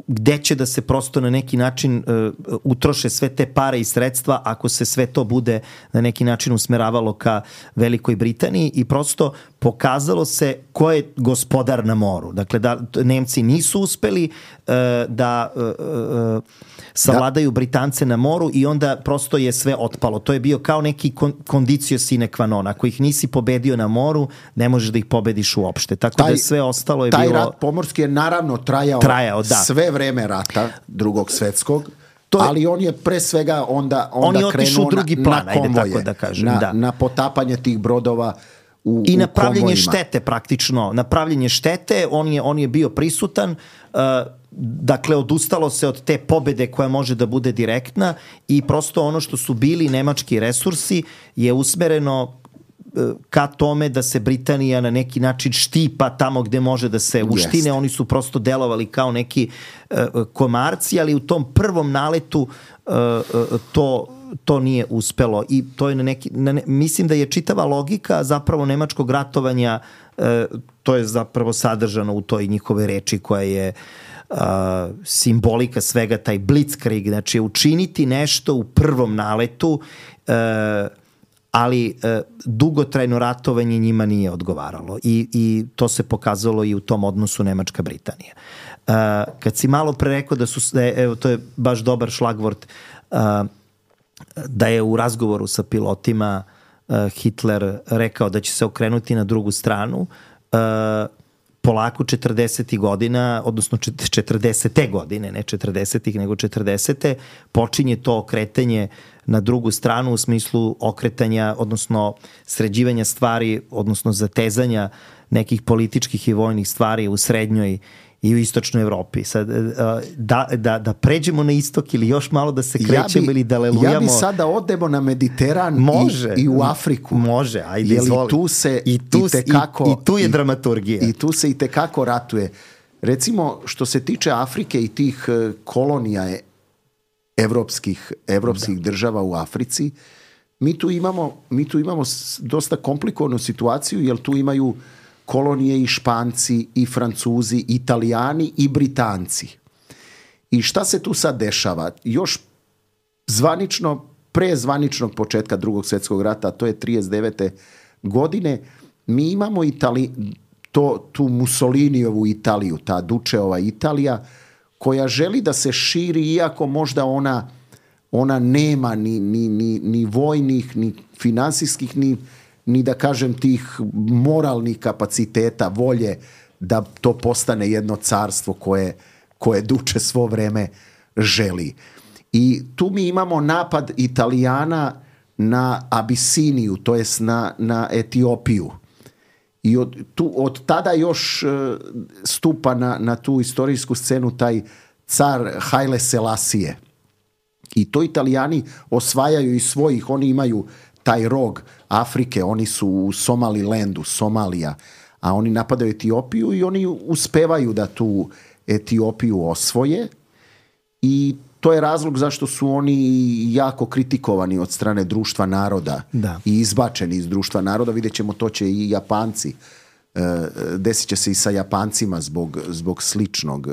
gde će da se prosto na neki način uh, utroše sve te pare i sredstva ako se sve to bude na neki način usmeravalo ka Velikoj Britaniji i prosto pokazalo se ko je gospodar na moru. Dakle, da Nemci nisu uspeli uh, da uh, uh, savladaju Britance na moru i onda prosto je sve otpalo. To je bio kao neki kondicio sine qua non. Ako ih nisi pobedio na moru, ne možeš da ih pobediš uopšte. Tako taj, da sve ostalo je taj bilo... Taj rat pomorski je naravno trajao, trajao da. sve vreme rata drugog svetskog, to je, ali on je pre svega onda, onda on krenuo u drugi plan, na konvoje, tako da kažem, na, da. na potapanje tih brodova u, i u napravljanje konvojima. štete praktično. Napravljanje štete, on je, on je bio prisutan, uh, dakle odustalo se od te pobede koja može da bude direktna i prosto ono što su bili nemački resursi je usmereno ka tome da se Britanija na neki način štipa tamo gde može da se uštine. Yes. Oni su prosto delovali kao neki uh, komarci, ali u tom prvom naletu uh, uh, to to nije uspelo i to je na neki na ne, mislim da je čitava logika zapravo nemačkog ratovanja uh, to je zapravo sadržano u toj njihove reči koja je uh, simbolika svega, taj blitzkrieg, znači učiniti nešto u prvom naletu, uh, ali uh, dugotrajno ratovanje njima nije odgovaralo i, i to se pokazalo i u tom odnosu Nemačka-Britanija. Uh, kad si malo pre rekao da su, evo to je baš dobar šlagvort, uh, da je u razgovoru sa pilotima uh, Hitler rekao da će se okrenuti na drugu stranu, uh, polako četrdesetih godina, odnosno četrdesete godine, ne četrdesetih nego četrdesete, počinje to okretanje na drugu stranu u smislu okretanja, odnosno sređivanja stvari, odnosno zatezanja nekih političkih i vojnih stvari u srednjoj i u istočnoj Evropi. Sad, da, da, da pređemo na istok ili još malo da se krećemo ja bi, ili da lelujamo. Ja bi sada odemo na Mediteran može, i, i u Afriku. Može, ajde, izvoli. Tu se I tu, i, tekako, i, i tu je i, dramaturgija. I tu se i tekako ratuje. Recimo, što se tiče Afrike i tih kolonija evropskih, evropskih država u Africi, mi tu imamo, mi tu imamo dosta komplikovanu situaciju, jer tu imaju kolonije i Španci, i Francuzi, i Italijani, i Britanci. I šta se tu sad dešava? Još zvanično, pre zvaničnog početka Drugog svjetskog rata, to je trideset devete godine, mi imamo Itali, to, tu Mussolinijevu Italiju, ta Dučeova Italija, koja želi da se širi, iako možda ona, ona nema ni, ni, ni, ni vojnih, ni finansijskih, ni, ni da kažem tih moralnih kapaciteta, volje da to postane jedno carstvo koje, koje Duče svo vreme želi. I tu mi imamo napad Italijana na Abisiniju, to jest na, na Etiopiju. I od, tu, od tada još uh, stupa na, na tu istorijsku scenu taj car Haile Selasije. I to Italijani osvajaju iz svojih, oni imaju taj rog Afrike, oni su u Somalilandu, Somalija, a oni napadaju Etiopiju i oni uspevaju da tu Etiopiju osvoje i to je razlog zašto su oni jako kritikovani od strane društva naroda da. I izbačeni iz društva naroda. Vidjet ćemo, to će i Japanci, desit će se i sa Japancima zbog, zbog sličnog,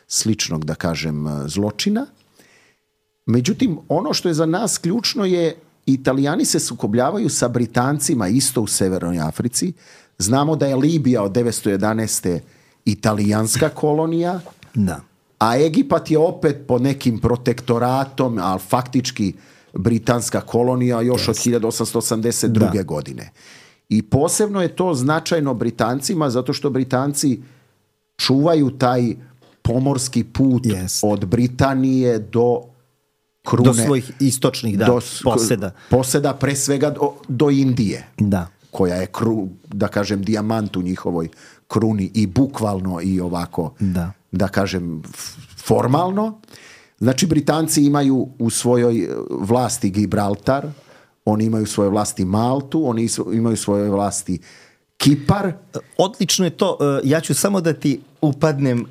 sličnog, da kažem, zločina. Međutim, ono što je za nas ključno je, Italijani se sukobljavaju sa Britancima isto u Severnoj Africi. Znamo da je Libija od devetsto jedanaeste italijanska kolonija, da. A Egipat je opet pod nekim protektoratom, ali faktički britanska kolonija još yes. od hiljadu osamsto osamdeset druge. Da. godine. I posebno je to značajno Britancima, zato što Britanci čuvaju taj pomorski put yes. od Britanije do krune, do svojih istočnih da, do, poseda. Poseda pre svega do, do Indije, da. koja je, kru, da kažem, dijamant u njihovoj kruni i bukvalno i ovako, da, da kažem, formalno. Znači, Britanci imaju u svojoj vlasti Gibraltar, oni imaju u svojoj vlasti Maltu, oni imaju u svojoj vlasti Kipar. Odlično je to. Ja ću samo da ti upadnem uh,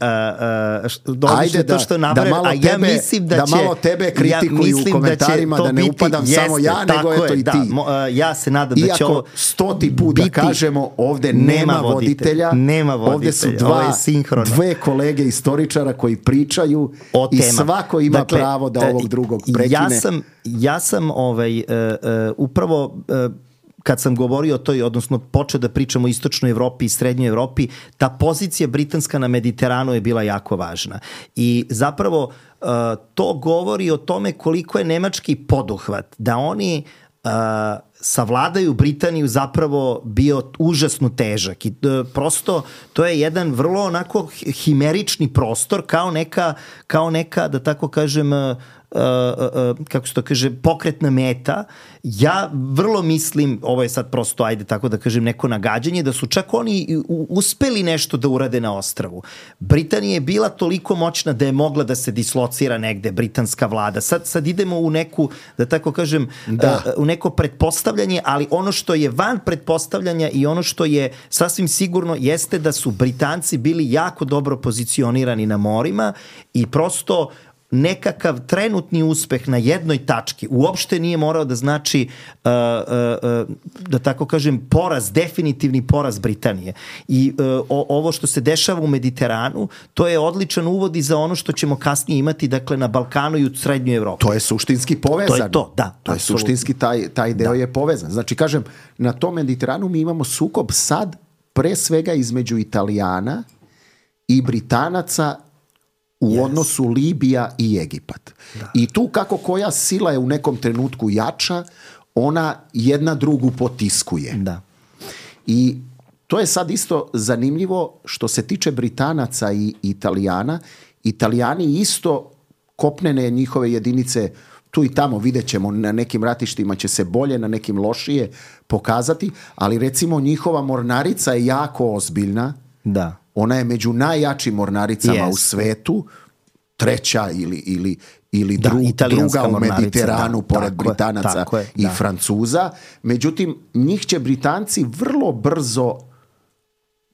uh, Ajde da, to što nabrem, da, malo tebe, ja mislim da, da će, malo tebe kritikuju ja u komentarima, da, da ne biti, upadam jeste, samo ja, nego je to i da, ti. Mo, uh, ja se nadam Iako da će ovo stoti put da kažemo, ovde nema, nema voditelja, nema voditelja, ovde su dva, dve kolege istoričara koji pričaju i svako ima dakle, pravo da ovog drugog prekine. Ja sam, ja sam ovaj, uh, uh, upravo... Uh, kad sam govorio o toj, odnosno počeo da pričam o istočnoj Evropi i srednjoj Evropi, ta pozicija britanska na Mediteranu je bila jako važna. I zapravo uh, to govori o tome koliko je nemački poduhvat, da oni uh, savladaju Britaniju zapravo bio užasno težak. I uh, prosto to je jedan vrlo onako himerični prostor, kao neka, kao neka da tako kažem, uh, Uh, uh, kako se to kaže, pokretna meta. Ja vrlo mislim, ovo je sad prosto, ajde tako da kažem, neko nagađanje, da su čak oni uspeli nešto da urade na ostrvu. Britanija je bila toliko moćna da je mogla da se dislocira negde, britanska vlada. Sad, sad idemo u neku, da tako kažem, da. Uh, u neko pretpostavljanje, ali ono što je van pretpostavljanja i ono što je sasvim sigurno jeste da su Britanci bili jako dobro pozicionirani na morima i prosto nekakav trenutni uspeh na jednoj tački uopšte nije morao da znači uh, uh, uh, da tako kažem poraz, definitivni poraz Britanije. I uh, o, ovo što se dešava u Mediteranu, to je odličan uvod i za ono što ćemo kasnije imati, dakle, na Balkanu i u srednjoj Evropi. To je suštinski povezano. To je to, da. To je absolutno. Suštinski, taj, taj deo da. je povezan. Znači, kažem, na tom Mediteranu mi imamo sukob sad pre svega između Italijana i Britanaca u yes. odnosu Libija i Egipat. Da. I tu kako koja sila je u nekom trenutku jača, ona jedna drugu potiskuje. Da. I to je sad isto zanimljivo što se tiče Britanaca i Italijana. Italijani isto kopnene njihove jedinice, tu i tamo vidjet ćemo, na nekim ratištima će se bolje, na nekim lošije pokazati, ali recimo njihova mornarica je jako ozbiljna. Da. ona je među najjačim mornaricama Jest. u svetu, treća ili, ili, ili Da, dru, italijanska druga u mornarica, Mediteranu da, pored tako je, Britanaca tako je, i da. Francuza. Međutim, njih će Britanci vrlo brzo,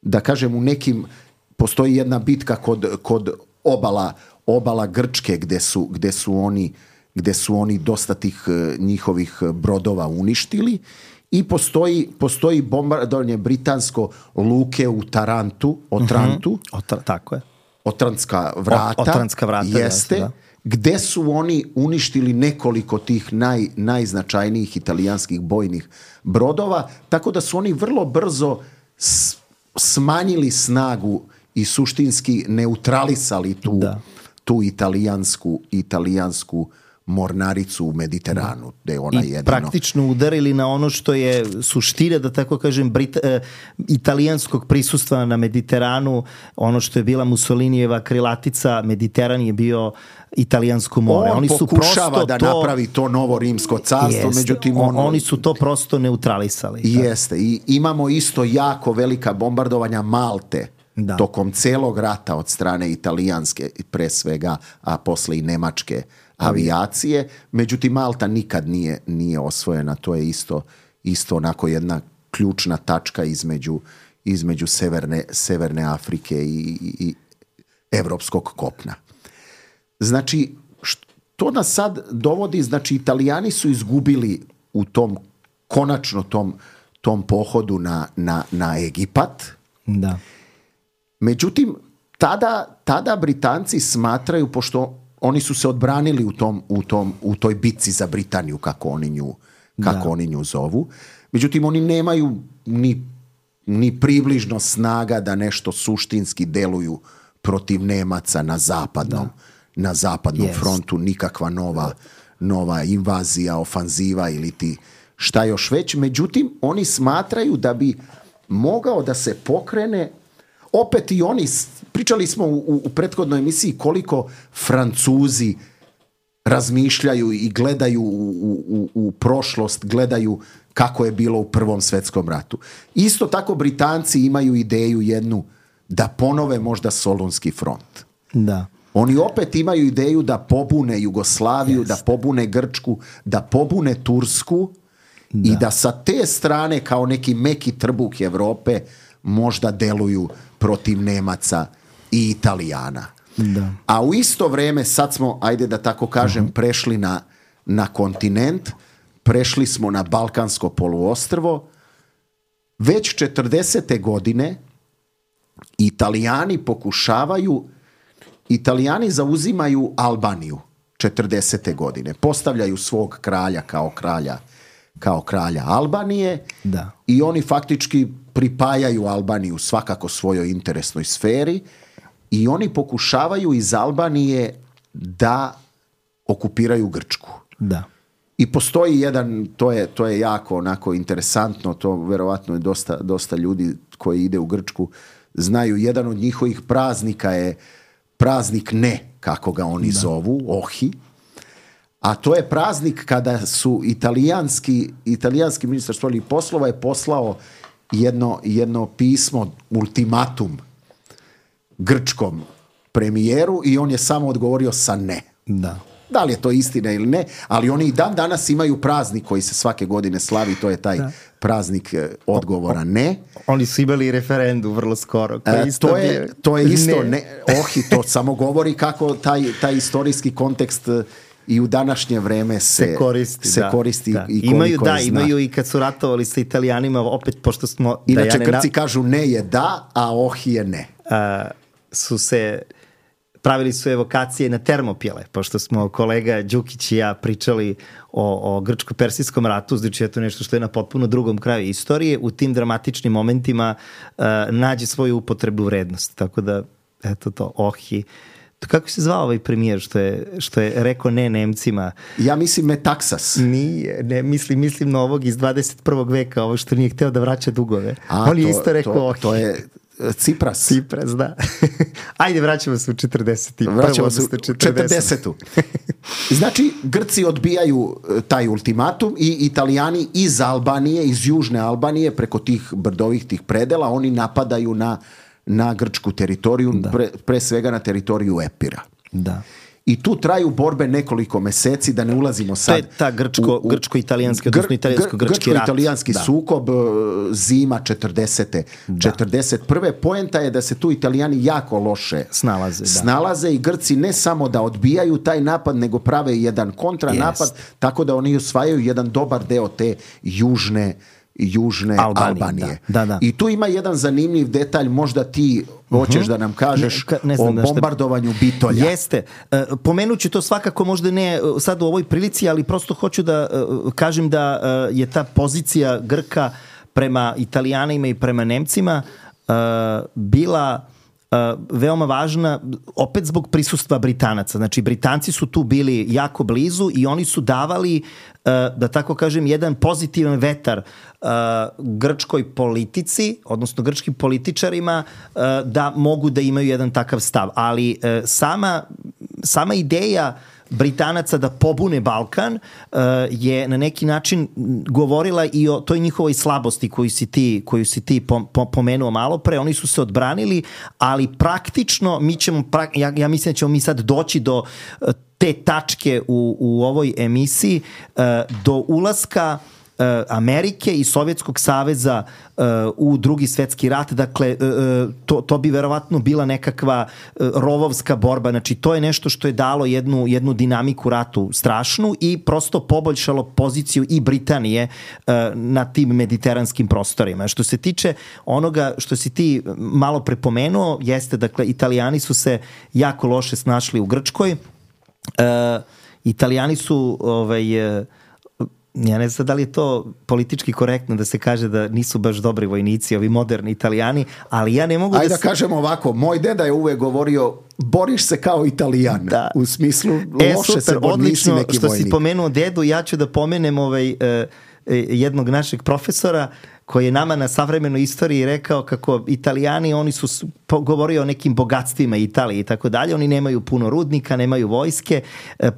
da kažem, u nekim, postoji jedna bitka kod, kod obala, obala Grčke gde su, gde su oni gde su oni dosta tih njihovih brodova uništili i postoji, postoji bombardovanje britansko luke u Tarantu, Otrantu, Mm-hmm. Otra, tako je. Otrantska vrata, O, Otrantska vrata jeste, da. gde su oni uništili nekoliko tih naj, najznačajnijih italijanskih bojnih brodova, tako da su oni vrlo brzo s, smanjili snagu i suštinski neutralisali tu, Da. tu italijansku, italijansku mornaricu u Mediteranu, gde je ona I jedino... praktično udarili na ono što je suština, da tako kažem, Brit, e, italijanskog prisustva na Mediteranu, ono što je bila Mussolinijeva krilatica, Mediteran je bio italijansko more. On Oni su pokušava prosto da to, napravi to novo rimsko carstvo, jeste, međutim on, on, oni su to prosto neutralisali. Jeste, i imamo isto jako velika bombardovanja Malte Da. tokom celog rata od strane italijanske, pre svega, a posle i nemačke avijacije. Međutim, Malta nikad nije, nije osvojena. To je isto, isto onako jedna ključna tačka između, između severne, severne Afrike i, i, i evropskog kopna. Znači, to nas sad dovodi, znači Italijani su izgubili u tom, konačno tom, tom pohodu na, na, na Egipat. Da. Međutim, tada, tada Britanci smatraju, pošto oni su se odbranili u, tom, u, tom, u toj bitci za Britaniju, kako oni nju, kako Da. oni nju zovu. Međutim, oni nemaju ni, ni približno snaga da nešto suštinski deluju protiv Nemaca na zapadnom, na zapadnom Jest. frontu, nikakva nova, nova invazija, ofanziva ili ti šta još već. Međutim, oni smatraju da bi mogao da se pokrene. Opet i oni, pričali smo u, u prethodnoj emisiji koliko Francuzi razmišljaju i gledaju u, u, u prošlost, gledaju kako je bilo u Prvom svetskom ratu. Isto tako Britanci imaju ideju jednu da ponove možda Solunski front. Da. Oni opet imaju ideju da pobune Jugoslaviju, Jest. da pobune Grčku, da pobune Tursku i da sa te strane kao neki meki trbuh Evrope možda deluju protiv Nemaca i Italijana. Da. A u isto vreme, sad smo, ajde da tako kažem, uh-huh. prešli na, na kontinent, prešli smo na Balkansko poluostrvo. Već četrdesete godine Italijani pokušavaju, Italijani zauzimaju Albaniju četrdesete godine. Postavljaju svog kralja kao kralja, kao kralja Albanije Da. i oni faktički pripajaju Albaniju svakako svojoj interesnoj sferi i oni pokušavaju iz Albanije da okupiraju Grčku. Da. I postoji jedan, to je, to je jako onako interesantno, to verovatno je dosta, dosta ljudi koji ide u Grčku znaju, jedan od njihovih praznika je praznik Ne, kako ga oni da. zovu, Ohi. A to je praznik kada su italijanski, italijanski ministar spoljnih poslova je poslao jedno, jedno pismo, ultimatum grčkom premijeru i on je samo odgovorio sa ne. Da. Da li je to istina ili ne, ali oni i dan danas imaju praznik koji se svake godine slavi, to je taj da. praznik odgovora ne. Oni su imali referendum vrlo skoro. E, isto to, je, to je isto, ne. Ne, ohi, to samo govori kako taj, taj istorijski kontekst i u današnje vreme se, se koristi, se da, koristi da. i koliko imaju, je da, zna. Imaju i kad su ratovali sa Italijanima, opet pošto smo... Inače, da ja ne Grci na... kažu ne je da, a ohi je ne. A, su se... Pravili su evokacije na Termopile, pošto smo kolega Đukić i ja pričali o, o grčko-persijskom ratu, znači je to nešto što je na potpuno drugom kraju istorije, u tim dramatičnim momentima uh, nađe svoju upotrebnu vrednost. Tako da, eto to, ohi. To kako se zvao ovaj premijer što je, što je rekao ne Nemcima? Ja mislim Metaksas. Nije, ne, mislim, mislim na ovog iz dvadeset prvog veka, ovo što nije hteo da vraća dugove. A, On je to, isto rekao to, ohi. To je Cipras. Cipras, da. Ajde, vraćamo se u četrdeset. Vraćamo se u četrdesetu. Znači, Grci odbijaju taj ultimatum i Italijani iz Albanije, iz južne Albanije, preko tih brdovih tih predela, oni napadaju na, na grčku teritoriju, pre, pre svega na teritoriju Epira. Da. I tu traju borbe nekoliko meseci, da ne ulazimo sad... To je ta grčko, u, u, grčko-italijanski, odnosno italijansko-grčki rat. Grčko-italijanski da. sukob, zima četrdesete. Da. četrdeset prve Poenta je da se tu Italijani jako loše snalaze, da. snalaze i Grci ne samo da odbijaju taj napad, nego prave jedan kontranapad, yes. tako da oni osvajaju jedan dobar deo te južne južne Albanije. Albanije. Da. Da, da. I tu ima jedan zanimljiv detalj, možda ti hoćeš uh-huh. da nam kažeš ne, ne znam, o bombardovanju Bitolja. Jeste. E, pomenut ću to svakako, možda ne sad u ovoj prilici, ali prosto hoću da e, kažem da e, je ta pozicija Grka prema Italijanima i prema Nemcima e, bila Uh, veoma važna, opet zbog prisustva Britanaca. Znači, Britanci su tu bili jako blizu i oni su davali, uh, da tako kažem, jedan pozitivan vetar uh, grčkoj politici, odnosno grčkim političarima, uh, da mogu da imaju jedan takav stav. Ali uh, sama, sama ideja Britanaca da pobune Balkan uh, je na neki način govorila i o toj njihovoj slabosti koju si ti, koju si ti pom, pom, pomenuo malo pre. Oni su se odbranili, ali praktično mi ćemo, ja, ja mislim da ćemo mi sad doći do uh, te tačke u, u ovoj emisiji, uh, do ulaska Amerike i Sovjetskog saveza uh, u drugi svetski rat, dakle uh, to, to bi verovatno bila nekakva uh, rovovska borba, znači to je nešto što je dalo jednu, jednu dinamiku ratu strašnu i prosto poboljšalo poziciju i Britanije uh, na tim mediteranskim prostorima. Što se tiče onoga što si ti malo prepomenuo, jeste, dakle, Italijani su se jako loše snašli u Grčkoj. Uh, Italijani su ovaj, uh, ja ne znam da li je to politički korektno da se kaže da nisu baš dobri vojnici, ovi moderni Italijani, ali ja ne mogu Ajde da... Ajde da kažemo ovako, moj deda je uvek govorio, boriš se kao Italijan, da. U smislu e, loše super, se bor, nisi neki vojnik. Što si pomenuo dedu, ja ću da pomenem ovaj, uh, jednog našeg profesora koji je nama na savremenoj istoriji rekao kako Italijani, oni su govorio o nekim bogatstvima Italije i tako dalje, oni nemaju puno rudnika, nemaju vojske,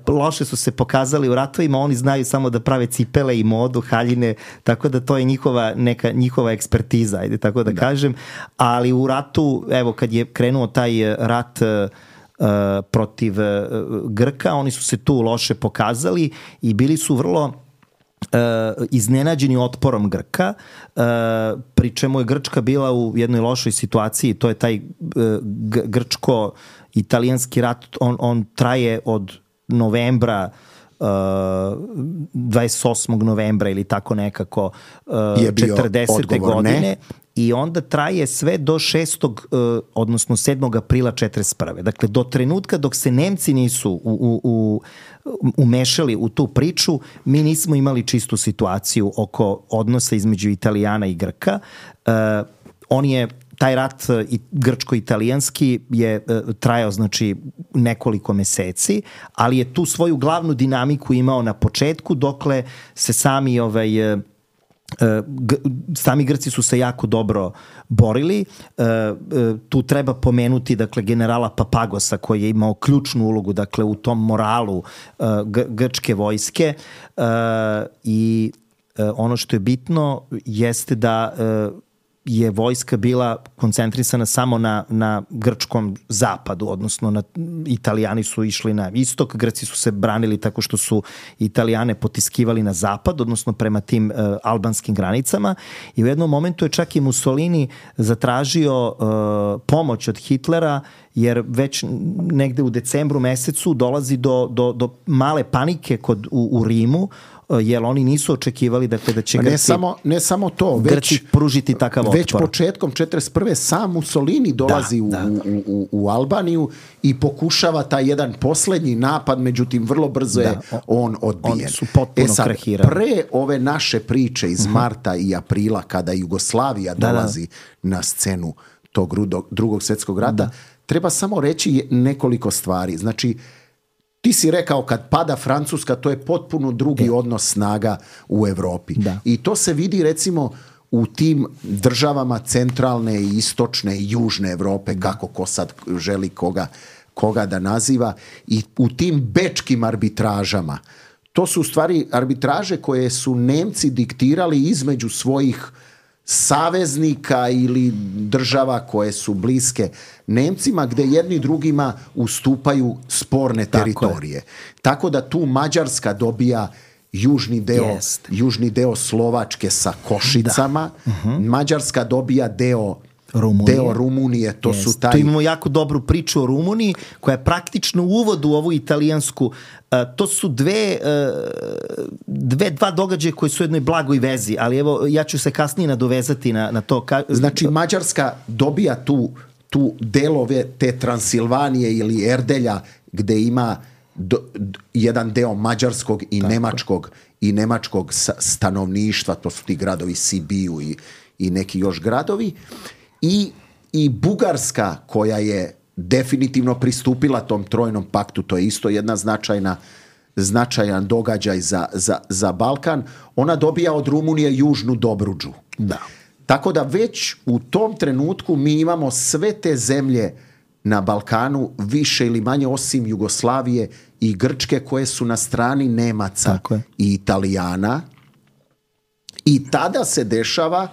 loše su se pokazali u ratovima, oni znaju samo da prave cipele i modu, haljine, tako da to je njihova, neka njihova ekspertiza, ajde tako da, da kažem, ali u ratu, evo kad je krenuo taj rat uh, protiv uh, Grka, oni su se tu loše pokazali i bili su vrlo Uh, iznenađeni otporom Grka, uh, pri čemu je Grčka bila u jednoj lošoj situaciji, to je taj uh, grčko-italijanski rat, on, on traje od novembra, uh, dvadeset osmog novembra ili tako nekako uh, četrdesete godine ne? I onda traje sve do šestog uh, odnosno sedmog aprila četrdeset prve Dakle, do trenutka dok se Nemci nisu u, u, u umešali u tu priču, mi nismo imali čistu situaciju oko odnosa između Italijana i Grka. Uh, on je, taj rat i grčko-italijanski je uh, trajao znači nekoliko meseci, ali je tu svoju glavnu dinamiku imao na početku, dokle se sami ovaj uh, G- sami Grci su se jako dobro borili. E, e, tu treba pomenuti dakle generala Papagosa koji je imao ključnu ulogu dakle u tom moralu e, g- grčke vojske e, i e, ono što je bitno jeste da e, je vojska bila koncentrisana samo na, na grčkom zapadu, odnosno na, Italijani su išli na istok, Grci su se branili tako što su Italijane potiskivali na zapad, odnosno prema tim uh, albanskim granicama i u jednom momentu je čak i Mussolini zatražio uh, pomoć od Hitlera jer već negde u decembru mesecu dolazi do, do, do male panike kod, u, u Rimu, jer oni nisu očekivali dakle, da će ne Grci, samo, ne samo to, već, Grci pružiti takav otpor. Već početkom četrdeset prve sam Mussolini dolazi da, da. U, u, u Albaniju i pokušava taj jedan poslednji napad, međutim vrlo brzo da, je on odbijen. Oni su potpuno e sad, krahirali. Pre ove naše priče iz uh-huh. marta i aprila, kada Jugoslavija da, dolazi da. na scenu tog drugog svjetskog rata, da. treba samo reći nekoliko stvari. Znači, ti si rekao kad pada Francuska, to je potpuno drugi da. odnos snaga u Evropi. Da. I to se vidi recimo u tim državama centralne i istočne i južne Evrope, da. kako ko sad želi koga, koga da naziva, i u tim bečkim arbitražama. To su u stvari arbitraže koje su Nemci diktirali između svojih saveznika ili država koje su bliske Nemcima, gde jedni drugima ustupaju sporne teritorije. Tako, Tako da tu Mađarska dobija južni deo, Jest. južni deo Slovačke sa Košicama, uh-huh. Mađarska dobija deo Rumunije. Deo Rumunije, to Jest. su taj... Tu imamo jako dobru priču o Rumuniji, koja je praktično uvod u ovu italijansku. Uh, to su dve, uh, dve, dva događaja koji su u jednoj blagoj vezi, ali evo, ja ću se kasnije nadovezati na, na to. Ka... Znači, Mađarska dobija tu, tu delove te Transilvanije ili Erdelja, gde ima do, do, jedan deo mađarskog i Tako. nemačkog i nemačkog stanovništva, to su ti gradovi Sibiu i, i neki još gradovi. I, i Bugarska, koja je definitivno pristupila tom trojnom paktu, to je isto jedna značajna, značajan događaj za, za, za Balkan, ona dobija od Rumunije južnu Dobruđu. Da. Tako da već u tom trenutku mi imamo sve te zemlje na Balkanu, više ili manje osim Jugoslavije i Grčke, koje su na strani Nemaca i Italijana. I tada se dešava,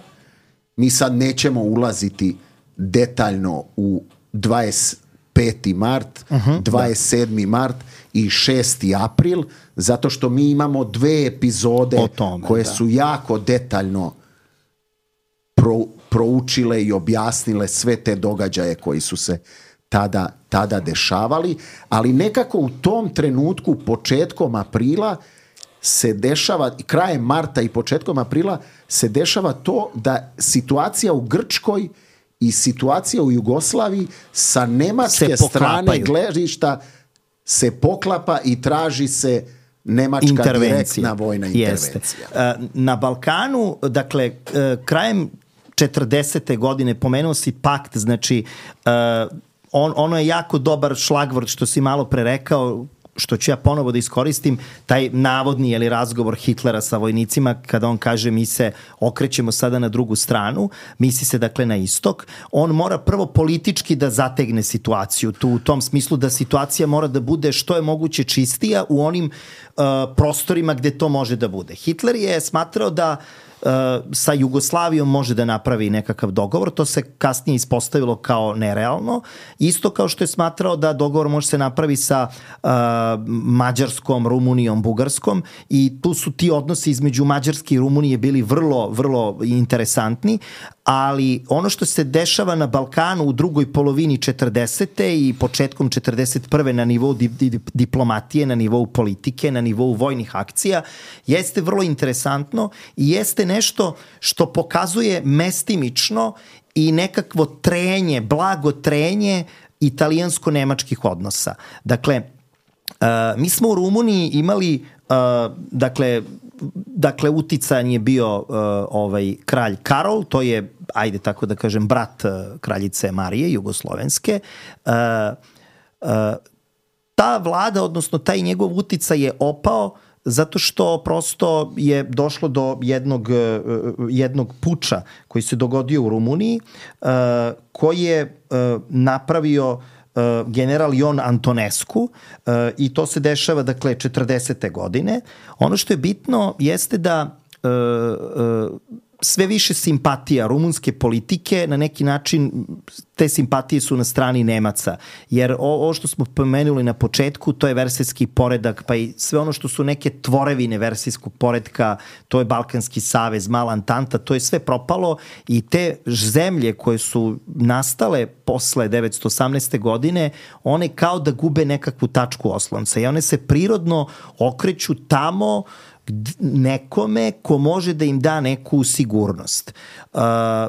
mi sad nećemo ulaziti detaljno u dvadeset peti mart, uh-huh, dvadeset sedmi Da. mart i šesti april, zato što mi imamo dve epizode tome, koje da. su jako detaljno pro, proučile i objasnile sve te događaje koji su se tada, tada dešavali, ali nekako u tom trenutku, početkom aprila, se dešava, krajem marta i početkom aprila, se dešava to da situacija u Grčkoj i situacija u Jugoslaviji sa nemačke strane gledišta se poklapa i traži se nemačka direktna vojna intervencija. Jeste. Na Balkanu, dakle, krajem četrdesete godine, pomenuo si pakt, znači on, ono je jako dobar šlagvort što si malo pre rekao, što ću ja ponovo da iskoristim, taj navodni ili razgovor Hitlera sa vojnicima, kada on kaže mi se okrećemo sada na drugu stranu, misli se dakle na istok, on mora prvo politički da zategne situaciju, tu u tom smislu da situacija mora da bude što je moguće čistija u onim uh, prostorima gde to može da bude. Hitler je smatrao da Uh, sa Jugoslavijom može da napravi nekakav dogovor, to se kasnije ispostavilo kao nerealno, isto kao što je smatrao da dogovor može se napravi sa uh, Mađarskom, Rumunijom, Bugarskom, i tu su ti odnosi između Mađarske i Rumunije bili vrlo, vrlo interesantni, ali ono što se dešava na Balkanu u drugoj polovini četrdesete i početkom četrdeset prve na nivou di, di, diplomatije, na nivou politike, na nivou vojnih akcija, jeste vrlo interesantno i jeste nešto što pokazuje mestimično i nekakvo trenje, blago trenje italijansko-nemačkih odnosa. Dakle, uh, mi smo u Rumuniji imali, uh, dakle, dakle uticajan je bio uh, ovaj kralj Karol, to je, ajde tako da kažem, brat uh, kraljice Marije, jugoslovenske. Uh, uh, ta vlada, odnosno taj njegov uticaj je opao zato što prosto je došlo do jednog, jednog puča koji se dogodio u Rumuniji, koji je napravio general Ion Antonescu, i to se dešava, dakle, četrdesete godine. Ono što je bitno jeste da sve više simpatija rumunske politike, na neki način te simpatije su na strani Nemaca, jer ovo što smo pomenuli na početku, to je versajski poredak, pa i sve ono što su neke tvorevine versajskog poredka, to je Balkanski savez, Mala Antanta, to je sve propalo i te zemlje koje su nastale posle devetsto osamnaeste godine, one kao da gube nekakvu tačku oslonca i one se prirodno okreću tamo nekome ko može da im da neku sigurnost. Uh,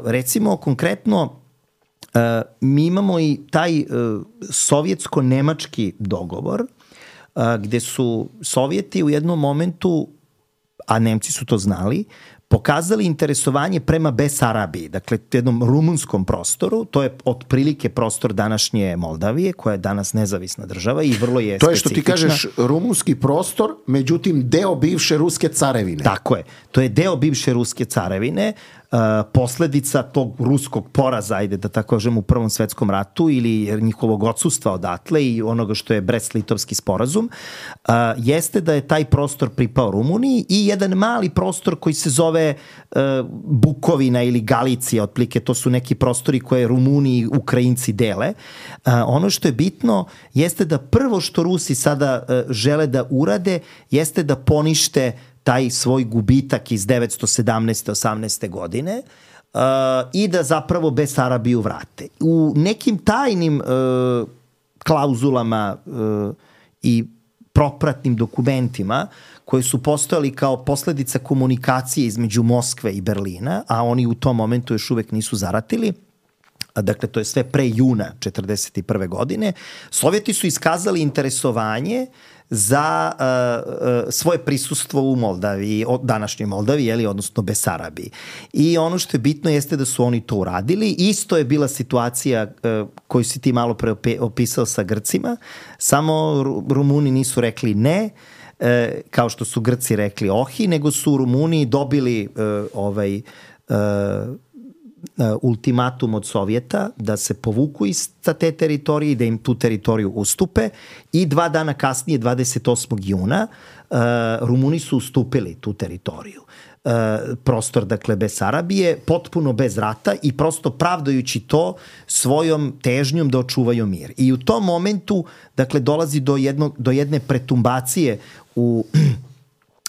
recimo, konkretno, uh, mi imamo i taj uh, sovjetsko-nemački dogovor, uh, gde su Sovjeti u jednom momentu, a Nemci su to znali, pokazali interesovanje prema Besarabiji, dakle jednom rumunskom prostoru, to je otprilike prostor današnje Moldavije, koja je danas nezavisna država i vrlo je specifična. To je što ti kažeš rumunski prostor, međutim deo bivše ruske carevine. Tako je, to je deo bivše ruske carevine, uh, posledica tog ruskog poraza, ajde da tako kažem, u Prvom svetskom ratu ili njihovog odsustva odatle i onoga što je Brest-Litovski sporazum, uh, jeste da je taj prostor pripao Rumuniji i jedan mali prostor koji se zove zove uh, Bukovina ili Galicija, otprilike to su neki prostori koje Rumuni i Ukrajinci dele. Uh, ono što je bitno jeste da prvo što Rusi sada uh, žele da urade jeste da ponište taj svoj gubitak iz devetsto sedamnaeste osamnaeste godine uh, i da zapravo Besarabiju vrate. U nekim tajnim uh, klauzulama uh, i propratnim dokumentima koji su postojali kao posledica komunikacije između Moskve i Berlina, a oni u tom momentu još uvek nisu zaratili, dakle to je sve pre juna četrdeset prve godine, Sovjeti su iskazali interesovanje za uh, uh, svoje prisustvo u Moldaviji, današnjoj Moldaviji, jeli, odnosno Besarabiji. I ono što je bitno jeste da su oni to uradili. Isto je bila situacija uh, koju si ti malo pre opisao sa Grcima, samo Rumuni nisu rekli ne, uh, kao što su Grci rekli ohi, nego su Rumuni dobili uh, ovaj uh, ultimatum od Sovjeta da se povuku iz te teritorije i da im tu teritoriju ustupe i dva dana kasnije, dvadeset osmog juna, uh, Rumuni su ustupili tu teritoriju. Uh, prostor, dakle, Besarabije, potpuno bez rata i prosto pravdajući to svojom težnjom da očuvaju mir. I u tom momentu, dakle, dolazi do, jedno, do jedne pretumbacije u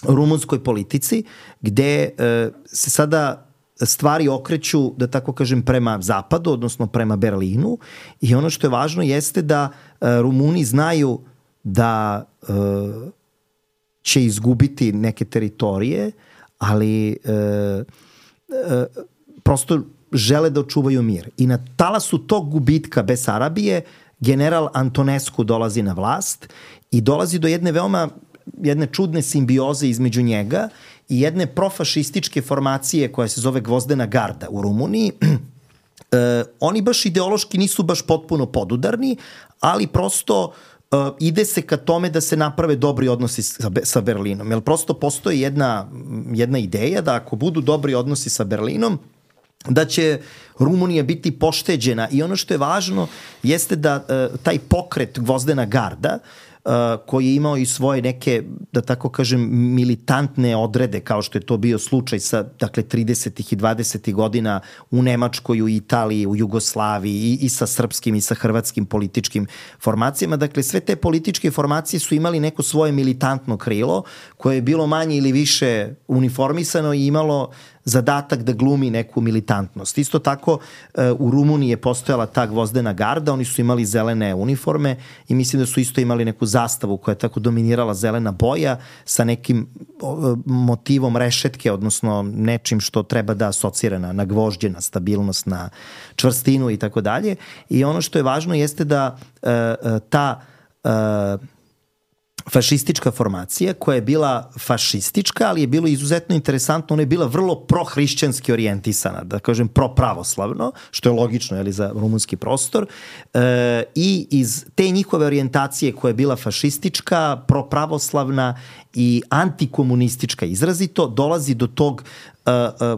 rumunskoj politici, gde uh, se sada stvari okreću, da tako kažem, prema zapadu, odnosno prema Berlinu, i ono što je važno jeste da uh, Rumuni znaju da uh, će izgubiti neke teritorije, ali uh, uh, prosto žele da očuvaju mir. I na talasu tog gubitka Besarabije general Antonescu dolazi na vlast i dolazi do jedne veoma jedne čudne simbioze između njega i jedne profašističke formacije koja se zove Gvozdena garda u Rumuniji. E, oni baš ideološki nisu baš potpuno podudarni, ali prosto e, ide se ka tome da se naprave dobri odnosi sa, sa Berlinom. Jer prosto postoji jedna, jedna ideja da ako budu dobri odnosi sa Berlinom, da će Rumunija biti pošteđena. I ono što je važno jeste da e, taj pokret Gvozdena garda, Uh, koji je imao i svoje neke, da tako kažem, militantne odrede, kao što je to bio slučaj sa, dakle, tridesetih i dvadesetih godina u Nemačkoj, u Italiji, u Jugoslaviji i, i sa srpskim i sa hrvatskim političkim formacijama. Dakle, sve te političke formacije su imali neko svoje militantno krilo koje je bilo manje ili više uniformisano i imalo zadatak da glumi neku militantnost. Isto tako u Rumuniji je postojala ta Gvozdena garda, oni su imali zelene uniforme i mislim da su isto imali neku zastavu koja je tako dominirala zelena boja sa nekim motivom rešetke, odnosno nečim što treba da asocira na, na gvožđe, na stabilnost, na čvrstinu i tako dalje. I ono što je važno jeste da uh, ta uh, fašistička formacija koja je bila fašistička, ali je bilo izuzetno interesantno, ona je bila vrlo prohrišćanski orijentisana, da kažem propravoslavno, što je logično, jeli, za rumunski prostor, e, i iz te njihove orijentacije koja je bila fašistička, propravoslavna i antikomunistička izrazito, dolazi do tog e, e,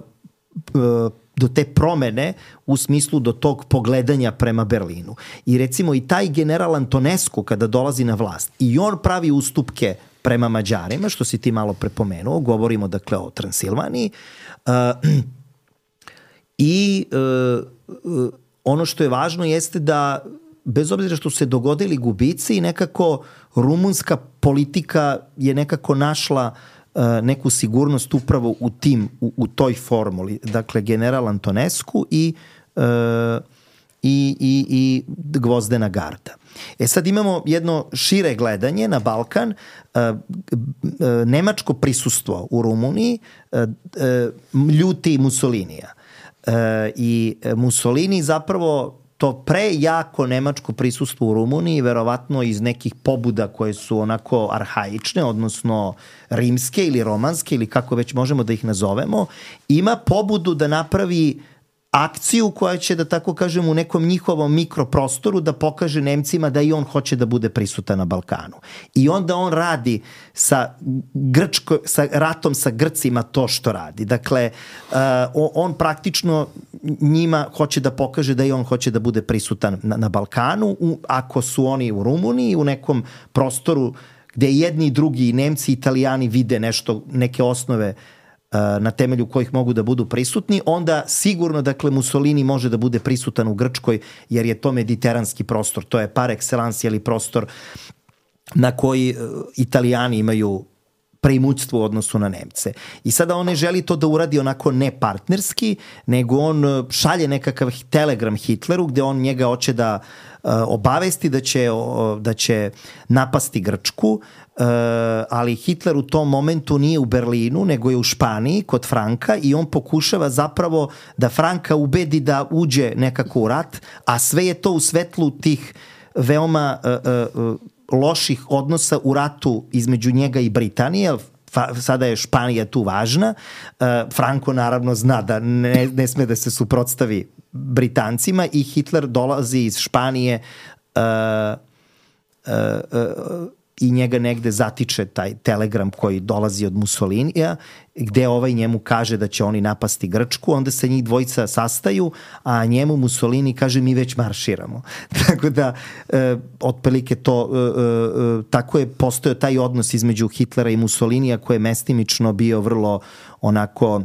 do te promene u smislu do tog pogledanja prema Berlinu. I recimo i taj general Antonescu kada dolazi na vlast i on pravi ustupke prema Mađarima, što si ti malo prepomenuo, govorimo dakle o Transilvaniji, uh, i uh, uh, ono što je važno jeste da bez obzira što se dogodili gubici, nekako rumunska politika je nekako našla neku sigurnost upravo u tim, u, u toj formuli. Dakle, general Antonescu i, uh, i, i, i Gvozdena garda. E sad imamo jedno šire gledanje na Balkan. Uh, uh, nemačko prisustvo u Rumuniji uh, uh, ljuti Mussolinija. Uh, I Mussolini zapravo to prejako nemačko prisustvo u Rumuniji, verovatno iz nekih pobuda koje su onako arhaične, odnosno rimske ili romanske ili kako već možemo da ih nazovemo, ima pobudu da napravi akciju koja će, da tako kažem, u nekom njihovom mikroprostoru da pokaže Nemcima da i on hoće da bude prisutan na Balkanu. I onda on radi sa, Grčko, sa ratom sa Grcima to što radi. Dakle, uh, on praktično njima hoće da pokaže da i on hoće da bude prisutan na, na Balkanu, u, ako su oni u Rumuniji, u nekom prostoru gde jedni i drugi, Nemci i Italijani vide nešto, neke osnove na temelju kojih mogu da budu prisutni, onda sigurno, dakle, Mussolini može da bude prisutan u Grčkoj, jer je to mediteranski prostor, to je par excellence ili prostor na koji Italijani imaju preimućstvo u odnosu na Nemce. I sada on ne želi to da uradi onako ne partnerski, nego on šalje nekakav telegram Hitleru gde on njega hoće da uh, obavesti da će, uh, da će napasti Grčku, uh, ali Hitler u tom momentu nije u Berlinu, nego je u Španiji kod Franka i on pokušava zapravo da Franka ubedi da uđe nekako u rat, a sve je to u svetlu tih veoma uh, uh, loših odnosa u ratu između njega i Britanije. Sada je Španija tu važna. Franco naravno zna da ne, ne sme da se suprotstavi Britancima i Hitler dolazi iz Španije uh, uh, uh, i njega negde zatiče taj telegram koji dolazi od Mussolinija, gde ovaj njemu kaže da će oni napasti Grčku, onda se njih dvojica sastaju, a njemu Mussolini kaže mi već marširamo. Tako da, e, otprilike to, e, e, tako je postojao taj odnos između Hitlera i Mussolinija koji je mestimično bio vrlo onako,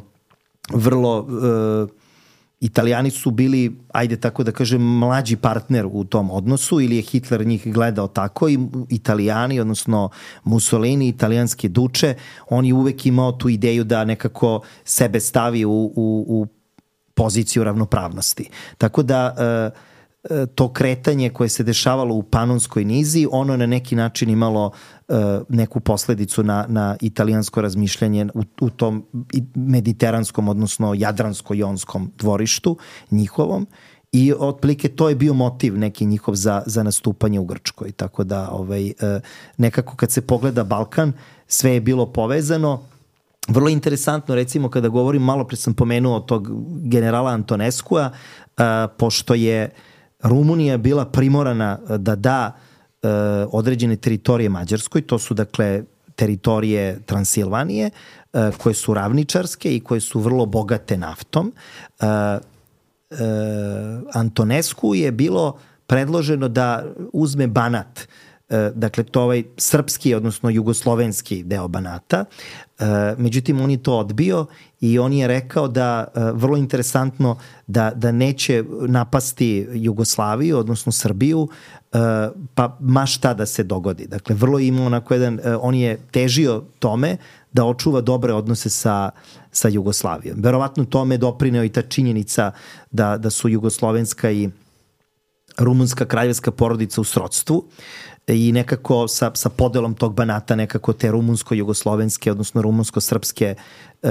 vrlo... E, Italijani su bili, ajde tako da kažem, mlađi partner u tom odnosu ili je Hitler njih gledao tako i Italijani, odnosno Mussolini, italijanski duče, on je uvek imao tu ideju da nekako sebe stavi u, u, u poziciju ravnopravnosti. Tako da e, to kretanje koje se dešavalo u Panonskoj nizi, ono na neki način imalo e, neku posledicu na, na italijansko razmišljanje u, u tom mediteranskom, odnosno jadransko-jonskom dvorištu njihovom i otprilike to je bio motiv neki njihov za, za nastupanje u Grčkoj. Tako da ovaj, e, nekako kad se pogleda Balkan, sve je bilo povezano. Vrlo interesantno, recimo kada govorim, malo pre sam pomenuo tog generala Antoneskua, e, pošto je Rumunija bila primorana da da e, određene teritorije Mađarskoj, to su dakle teritorije Transilvanije, e, koje su ravničarske i koje su vrlo bogate naftom. E, e, Antonescu je bilo predloženo da uzme Banat, e, dakle to ovaj srpski, odnosno jugoslovenski deo Banata, e, međutim on je to odbio i on je rekao da, vrlo interesantno, da, da neće napasti Jugoslaviju, odnosno Srbiju, pa ma šta da se dogodi. Dakle, vrlo ima onako jedan, on je težio tome da očuva dobre odnose sa, sa Jugoslavijom. Verovatno tome je doprineo i ta činjenica da, da su jugoslovenska i rumunska kraljevska porodica u srodstvu i nekako sa, sa podelom tog Banata nekako te rumunsko-jugoslovenske, odnosno rumunsko-srpske e,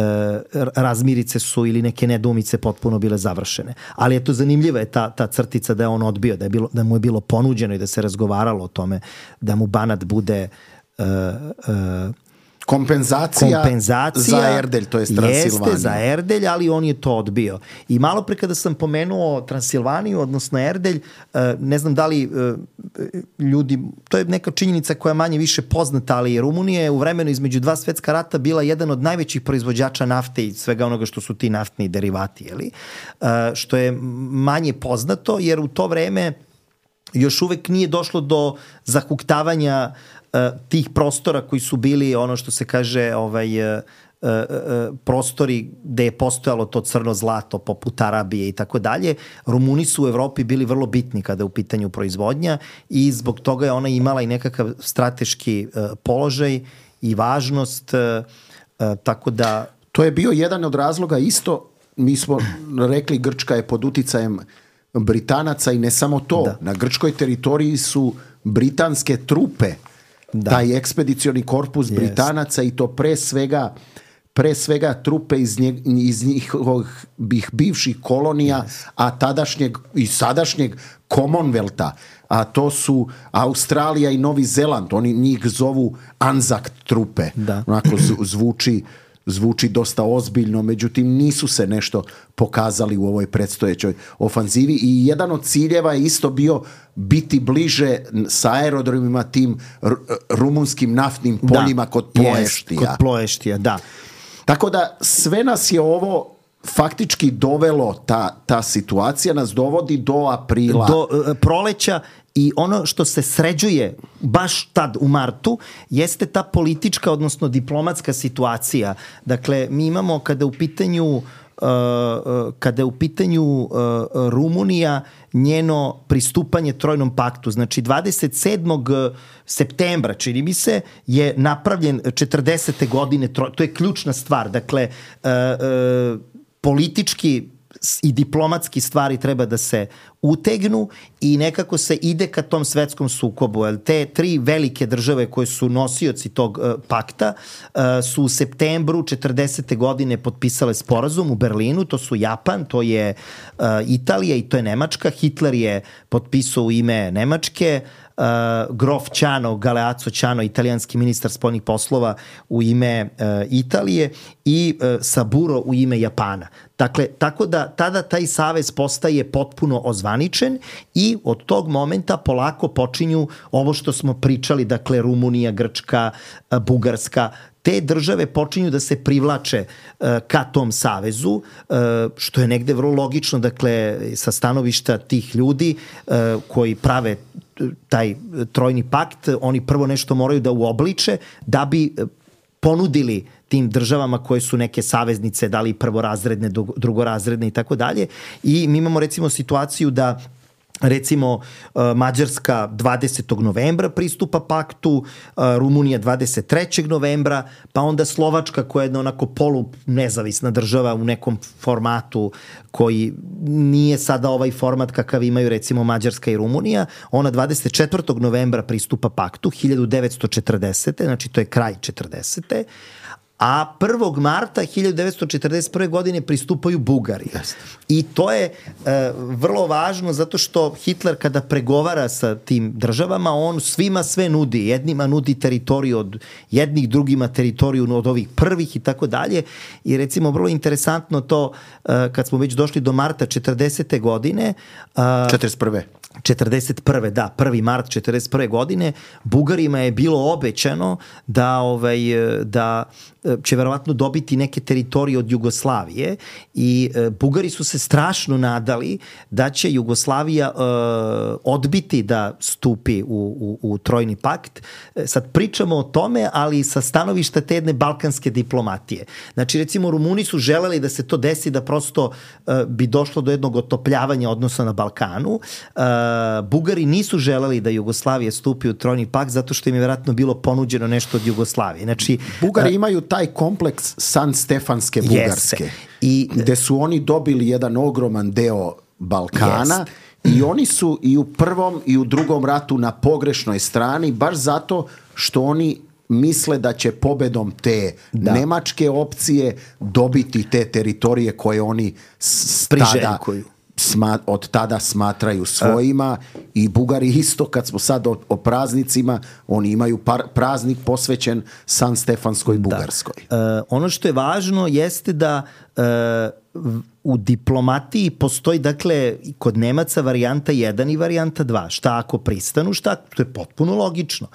razmirice su ili neke nedoumice potpuno bile završene. Ali eto, zanimljiva je ta, ta crtica da je on odbio, da, je bilo, da mu je bilo ponuđeno i da se razgovaralo o tome da mu Banat bude e, e, Kompenzacija, kompenzacija za Erdelj, to je Transilvanija. Jeste, za Erdelj, ali on je to odbio. I malo pre kada sam pomenuo Transilvaniju, odnosno Erdelj, ne znam da li ljudi, to je neka činjenica koja je manje više poznata, ali Rumunija je u vremenu između dva svetska rata bila jedan od najvećih proizvođača nafte i svega onoga što su ti naftni derivati, jeli? Što je manje poznato, jer u to vreme još uvek nije došlo do zahuktavanja tih prostora koji su bili ono što se kaže ovaj, uh, uh, uh, prostori gde je postojalo to crno zlato poput Arabije i tako dalje. Rumuni su u Evropi bili vrlo bitni kada je u pitanju proizvodnja i zbog toga je ona imala i nekakav strateški uh, položaj i važnost, uh, uh, tako da... To je bio jedan od razloga isto, mi smo rekli Grčka je pod uticajem Britanaca i ne samo to, da. Na grčkoj teritoriji su britanske trupe, da. Taj ekspedicioni korpus yes. Britanaca i to pre svega pre svega trupe iz, nje, iz njihovih bivših kolonija, yes. a tadašnjeg i sadašnjeg Commonwealtha, a to su Australija i Novi Zeland, oni njih zovu Anzac trupe, da. Onako zvuči zvuči dosta ozbiljno, međutim nisu se nešto pokazali u ovoj predstojećoj ofanzivi i jedan od ciljeva je isto bio biti bliže sa aerodromima tim rumunskim naftnim poljima da, kod Ploeštija. Yes, kod Ploeštija, da. Tako da sve nas je ovo faktički dovelo, ta, ta situacija nas dovodi do aprila. Do uh, proleća I ono što se sređuje baš tad u martu jeste ta politička, odnosno diplomatska situacija. Dakle, mi imamo kada u pitanju Uh, kada je u pitanju uh, Rumunija, njeno pristupanje Trojnom paktu. Znači dvadeset sedmog septembra, čini mi se, je napravljen četrdesete godine, to je ključna stvar. Dakle, uh, uh, politički i diplomatski stvari treba da se utegnu i nekako se ide ka tom svetskom sukobu. Jer te tri velike države koje su nosioci tog uh, pakta uh, su u septembru četrdesete godine potpisale sporazum u Berlinu. To su Japan, to je uh, Italija i to je Nemačka. Hitler je potpisao u ime Nemačke, Uh, grof Ćano, Galeazzo Ćano, italijanski ministar spoljnih poslova u ime uh, Italije i uh, Saburo u ime Japana. Dakle, tako da tada taj savez postaje potpuno ozvaničen i od tog momenta polako počinju ovo što smo pričali, dakle Rumunija, Grčka, uh, Bugarska, te države počinju da se privlače uh, ka tom savezu, uh, što je negde vrlo logično, dakle, sa stanovišta tih ljudi uh, koji prave taj trojni pakt, oni prvo nešto moraju da uobliče da bi ponudili tim državama koje su neke saveznice, da li prvorazredne, drugorazredne i tako dalje. I mi imamo recimo situaciju da recimo Mađarska dvadesetog novembra pristupa paktu, Rumunija dvadeset trećeg novembra, pa onda Slovačka koja je jedna onako polu nezavisna država u nekom formatu koji nije sada ovaj format kakav imaju recimo Mađarska i Rumunija, ona dvadeset četvrtog novembra pristupa paktu hiljadu devetsto četrdesete. Znači to je kraj četrdesete. A prvog marta hiljadu devetsto četrdeset prve. godine pristupaju Bugari. Yes. I to je e, vrlo važno zato što Hitler kada pregovara sa tim državama, on svima sve nudi. Jednima nudi teritoriju od jednih, drugima teritoriju od ovih prvih i tako dalje. I recimo vrlo interesantno to e, kad smo već došli do marta četrdesete. godine. E, četrdeset prve. četrdeset prve. da, prvi mart četrdeset prve. godine Bugarima je bilo obećano da ovaj da će verovatno dobiti neke teritorije od Jugoslavije i e, Bugari su se strašno nadali da će Jugoslavija e, odbiti da stupi u, u, u Trojni pakt. E, sad pričamo o tome, ali sa stanovišta te jedne balkanske diplomatije. Znači recimo Rumuni su želeli da se to desi, da prosto e, bi došlo do jednog otopljavanja odnosa na Balkanu. E, Bugari nisu želeli da Jugoslavija stupi u Trojni pakt zato što im je verovatno bilo ponuđeno nešto od Jugoslavije. Znači Bugari e, imaju taj kompleks San Stefanske Bugarske, yes. I gde su oni dobili jedan ogroman deo Balkana, yes. I oni su i u prvom i u drugom ratu na pogrešnoj strani, baš zato što oni misle da će pobedom te da. nemačke opcije dobiti te teritorije koje oni tada Sma, od tada smatraju svojima. I Bugari isto, kad smo sad o, o praznicima, oni imaju par, praznik posvećen San Stefanskoj Bugarskoj. Da. Uh, ono što je važno jeste da uh, u diplomatiji postoji, dakle, kod Nemaca varijanta jedan i varijanta dva. Šta ako pristanu, šta, to je potpuno logično.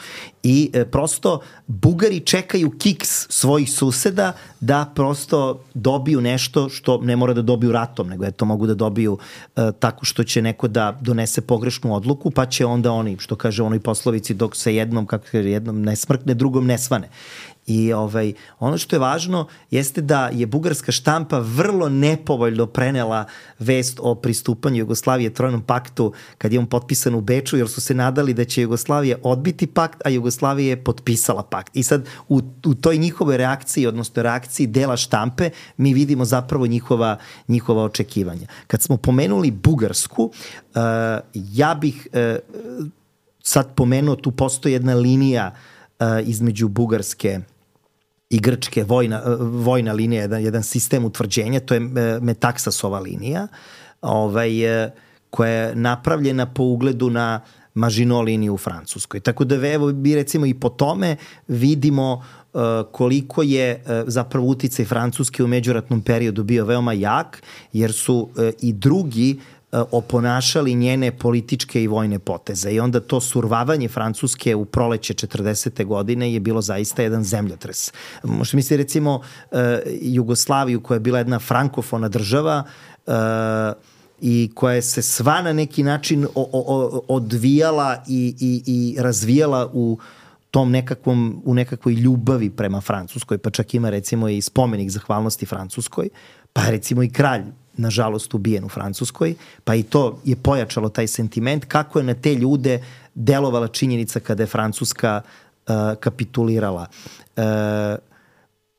I e, prosto Bugari čekaju kiks svojih suseda da prosto dobiju nešto što ne mora da dobiju ratom, nego eto mogu da dobiju e, tako što će neko da donese pogrešnu odluku, pa će onda oni, što kaže u onoj poslovici, dok se jednom, kako kaže, jednom ne smrkne, drugom ne svane. I ovaj, ono što je važno jeste da je bugarska štampa vrlo nepovoljno prenela vest o pristupanju Jugoslavije Trojnom paktu kad je on potpisan u Beču, jer su se nadali da će Jugoslavija odbiti pakt, a Jugoslavija je potpisala pakt. I sad u, u toj njihovoj reakciji, odnosno reakciji dela štampe, mi vidimo zapravo njihova, njihova očekivanja. Kad smo pomenuli Bugarsku, uh, ja bih uh, sad pomenuo, tu postoji jedna linija uh, između Bugarske i Grčke, vojna, vojna linija, jedan, jedan sistem utvrđenja, to je Metaksasova linija, ovaj, koja je napravljena po ugledu na Maginot liniju u Francuskoj. Tako da evo, mi recimo i po tome vidimo uh, koliko je uh, zapravo uticaj Francuske u međuratnom periodu bio veoma jak, jer su uh, i drugi oponašali njene političke i vojne poteze. I onda to survavanje Francuske u proleće četrdesete. godine je bilo zaista jedan zemljotres. Možete misliti recimo uh, Jugoslaviju koja je bila jedna frankofona država, uh, i koja se sva na neki način o, o, odvijala i, i, i razvijala u tom nekakvom, u nekakvoj ljubavi prema Francuskoj, pa čak ima recimo i spomenik zahvalnosti Francuskoj, pa recimo i kralj nažalost ubijen u Francuskoj, pa i to je pojačalo taj sentiment, kako je na te ljude delovala činjenica kada je Francuska uh, kapitulirala. Uh,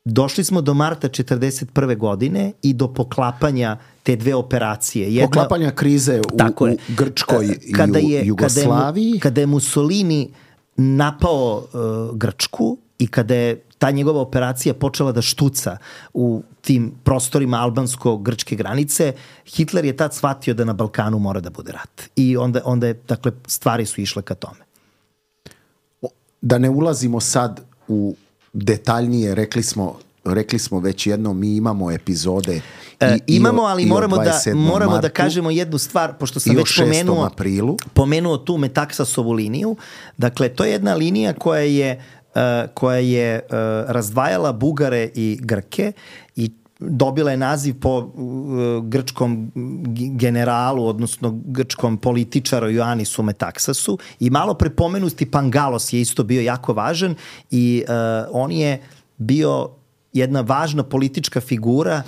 došli smo do marta četrdeset prve godine i do poklapanja te dve operacije. Jedna, poklapanja krize u, u Grčkoj i kada je, u Jugoslaviji. Kada je, kada je Mussolini napao uh, Grčku i kada je ta njegova operacija počela da štuca u tim prostorima albansko-grčke granice, Hitler je tad shvatio da na Balkanu mora da bude rat. I onda, onda je, dakle, stvari su išle ka tome. Da ne ulazimo sad u detaljnije, rekli smo, rekli smo već jedno, mi imamo epizode. E, i, imamo, ali i moramo, da, moramo martu, da kažemo jednu stvar, pošto sam već pomenuo, pomenuo tu Metaksasovu liniju. Dakle, to je jedna linija koja je Uh, koja je uh, razdvajala Bugare i Grke i dobila je naziv po uh, grčkom generalu, odnosno grčkom političaru Ioannisu Metaksasu, i malo prepomenuti Pangalos je isto bio jako važan i uh, on je bio jedna važna politička figura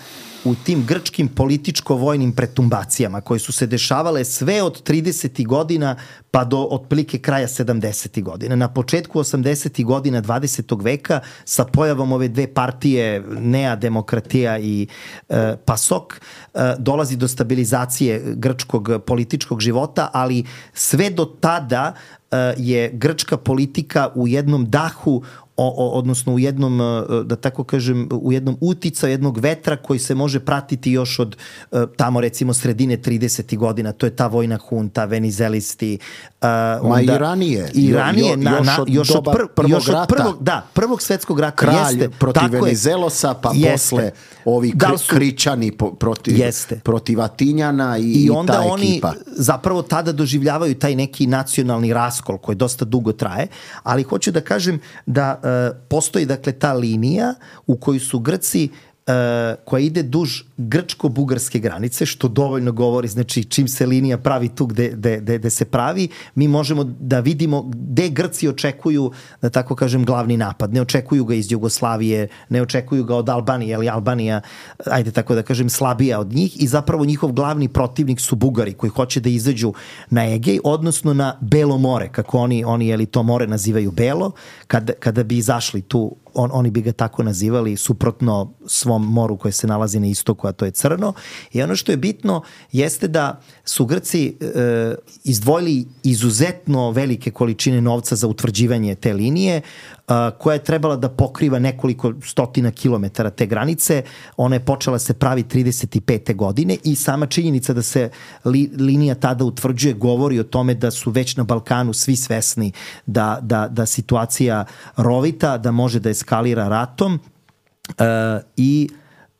u tim grčkim političko-vojnim pretumbacijama koje su se dešavale sve od tridesetih godina pa do otprilike kraja sedamdesetih godina. Na početku osamdesetih godina dvadesetog veka sa pojavom ove dve partije, Nea Demokratija i e, Pasok, e, dolazi do stabilizacije grčkog političkog života, ali sve do tada e, je grčka politika u jednom dahu, O, o, odnosno u jednom, da tako kažem, u jednom uticaju jednog vetra koji se može pratiti još od tamo recimo sredine tridesetih godina. To je ta vojna hunta, venizelisti. Uh, Ma onda, i ranije. I ranije, jo, na, još na, od još doba od pr, prvog još od rata. Prvog, da, prvog svetskog rata. Kralj jeste, protiv Venizelosa, pa jeste. Posle ovi kri, su, kričani po, protiv, protiv Atinjana i, I, i onda ta oni ekipa. Zapravo tada doživljavaju taj neki nacionalni raskol koji dosta dugo traje, ali hoću da kažem da postoji dakle ta linija u kojoj su Grci, uh, koja ide duž grčko-bugarske granice, što dovoljno govori, znači čim se linija pravi tu gde, gde, gde, gde se pravi, mi možemo da vidimo gde Grci očekuju, da tako kažem, glavni napad. Ne očekuju ga iz Jugoslavije, ne očekuju ga od Albanije, ali Albanija, ajde tako da kažem, slabija od njih, i zapravo njihov glavni protivnik su Bugari koji hoće da izađu na Egej, odnosno na Belo more, kako oni, oni jeli, to more nazivaju Belo, kada, kada bi izašli tu, on, oni bi ga tako nazivali, suprotno svom moru koje se nalazi na istoku, a to je Crno. I ono što je bitno jeste da su Grci e, izdvojili izuzetno velike količine novca za utvrđivanje te linije, a, koja je trebala da pokriva nekoliko stotina kilometara te granice. Ona je počela se pravi trideset pete godine i sama činjenica da se li, linija tada utvrđuje govori o tome da su već na Balkanu svi svesni da, da, da situacija rovita, da može da eskalira ratom, e, i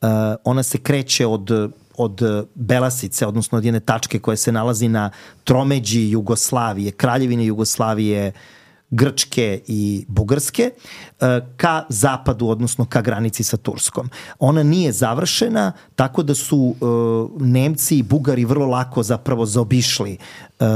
Uh, ona se kreće od, od Belasice, odnosno od jedne tačke koja se nalazi na tromeđi Jugoslavije, Kraljevine Jugoslavije, Grčke i Bugarske, uh, ka zapadu, odnosno ka granici sa Turskom. Ona nije završena, tako da su uh, Nemci i Bugari vrlo lako zapravo zaobišli uh,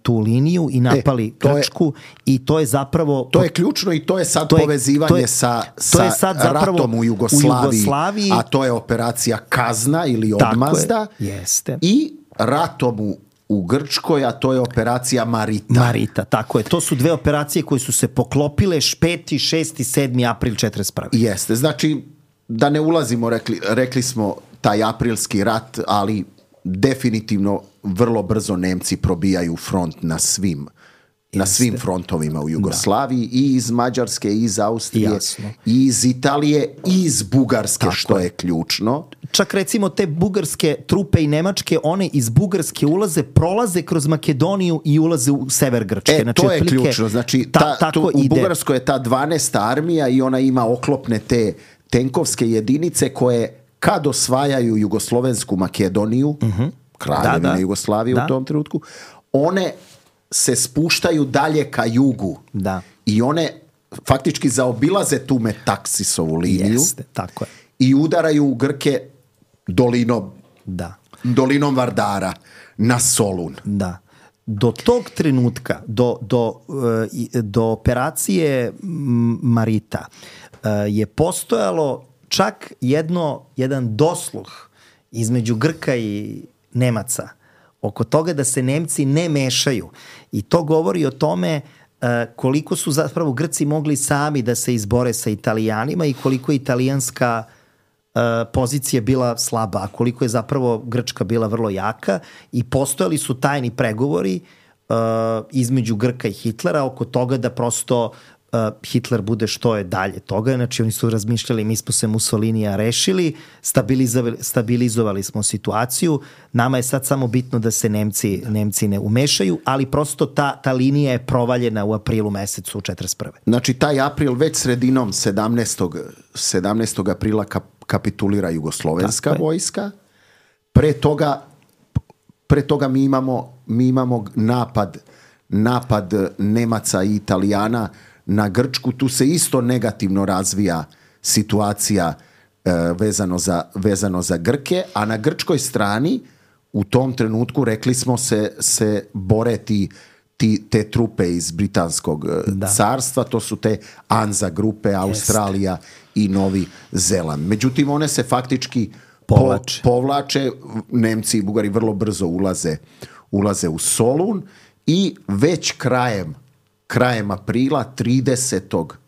tu liniju i napali e, Grčku, je, i to je zapravo... To je ključno i to je sad to je, povezivanje to je, sa, sa je sad ratom u Jugoslaviji, u Jugoslaviji, a to je operacija Kazna ili Odmazda, je, jeste. I ratom u u Grčkoj, a to je operacija Marita. Marita, tako je. To su dve operacije koje su se poklopile peti, šesti, sedmi april četrdeset prve. Jeste, znači da ne ulazimo, rekli, rekli smo taj aprilski rat, ali definitivno vrlo brzo Nemci probijaju front na svim na svim frontovima u Jugoslaviji, da. I iz Mađarske, i iz Austrije, jasno. I iz Italije, i iz Bugarske, tako što je. je ključno. Čak recimo te bugarske trupe i nemačke, one iz Bugarske ulaze, prolaze kroz Makedoniju i ulaze u sever Grčke. E, znači, to je plike, ključno. Znači, ta, ta, tu, u Bugarskoj je ta dvanaesta armija i ona ima oklopne te tenkovske jedinice koje kad osvajaju Jugoslovensku Makedoniju, uh-huh. Kraljevine da, da. Jugoslavije da. u tom trenutku, one se spuštaju dalje ka jugu. Da. I one faktički zaobilaze tu Metaksisovu liniju. Jeste, tako je. I udaraju u Grke dolinom da. dolinom Vardara na Solun. Da. Do tog trenutka, do, do, do operacije Marita, je postojalo čak jedno, jedan dosluh između Grka i Nemaca oko toga da se Nemci ne mešaju. I to govori o tome koliko su zapravo Grci mogli sami da se izbore sa Italijanima i koliko je italijanska pozicija bila slaba, a koliko je zapravo Grčka bila vrlo jaka i postojali su tajni pregovori uh, između Grka i Hitlera oko toga da prosto uh, Hitler bude što je dalje toga. Znači oni su razmišljali, mi smo se Mussolinija rešili, stabilizovali, stabilizovali smo situaciju, nama je sad samo bitno da se Nemci, Nemci ne umešaju, ali prosto ta, ta linija je provaljena u aprilu mesecu četrdeset prve. Znači taj april već sredinom sedamnaestog aprila kap kapitulira jugoslovenska vojska. Pre toga, pre toga mi imamo, mi imamo napad, napad Nemaca i Italijana na Grčku. Tu se isto negativno razvija situacija e, vezano, za, vezano za Grke, a na grčkoj strani u tom trenutku, rekli smo, se, se bore ti, ti, te trupe iz Britanskog da. carstva, to su te Anza grupe, Australija i Novi Zeland. Međutim, one se faktički povlače. Po, povlače. Nemci i Bugari vrlo brzo ulaze, ulaze u Solun i već krajem, krajem aprila, tridesetog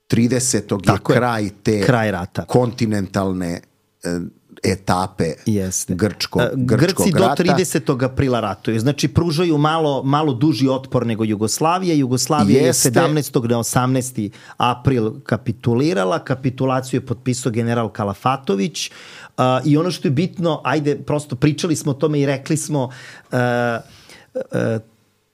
tridesetog je kraj te kraj rata. kontinentalne e, etape Jeste. grčko, grčkog Grci rata. do tridesetog aprila ratuju. Znači, pružaju malo, malo duži otpor nego Jugoslavija. Jugoslavija Jeste. je sedamnaestog na osamnaesti april kapitulirala. Kapitulaciju je potpisao general Kalafatović. Uh, I ono što je bitno, ajde, prosto pričali smo o tome i rekli smo uh, uh,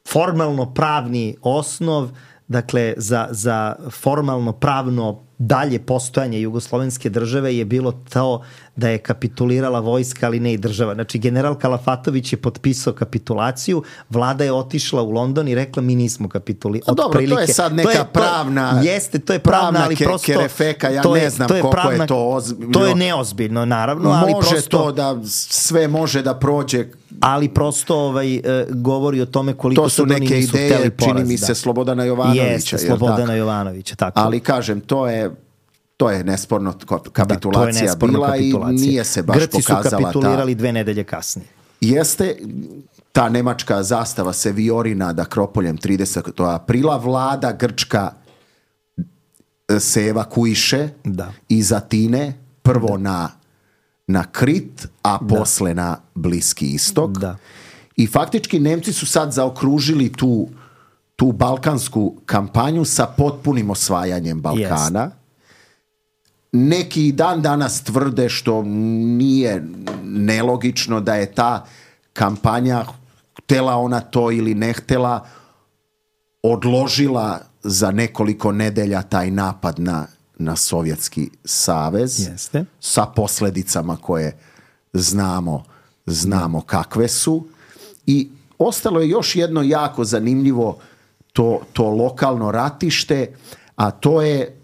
formalno pravni osnov, dakle, za, za formalno pravno dalje postojanje jugoslovenske države je bilo to da je kapitulirala vojska, ali ne i država. Znači, general Kalafatović je potpisao kapitulaciju, vlada je otišla u London i rekla mi nismo kapitulirali. Dobro, to je sad neka to je, pravna... To, jeste, to je pravna, pravna ali ke, prosto... kerefeka, ja to je, ne znam to je koliko pravna, je to ozbiljno. To je neozbiljno, naravno, ali može prosto... to da sve može da prođe... Ali prosto ovaj, e, govori o tome koliko to su neke ideje, čini mi se, da. Slobodana Jovanovića. Jeste, Slobodana tako? Jovanovića, tako. Ali kažem, to je... To je nesporno kapitulacija da, je nesporno bila kapitulacija. I nije se baš Grci pokazala ta... Grci su kapitulirali dve nedelje kasnije. Jeste, ta nemačka zastava se vijori nad Akropoljem tridesetog aprila. Vlada grčka se evakuiše da. iz Atine, prvo da. na, na Krit, a da. posle na Bliski istok. Da. I faktički Nemci su sad zaokružili tu, tu balkansku kampanju sa potpunim osvajanjem Balkana. Jest. Neki dan danas tvrde, što nije nelogično, da je ta kampanja, htela ona to ili ne htela, odložila za nekoliko nedelja taj napad na, na Sovjetski savez. Jeste. Sa posledicama koje znamo, znamo kakve su. I ostalo je još jedno jako zanimljivo to, to lokalno ratište, a to je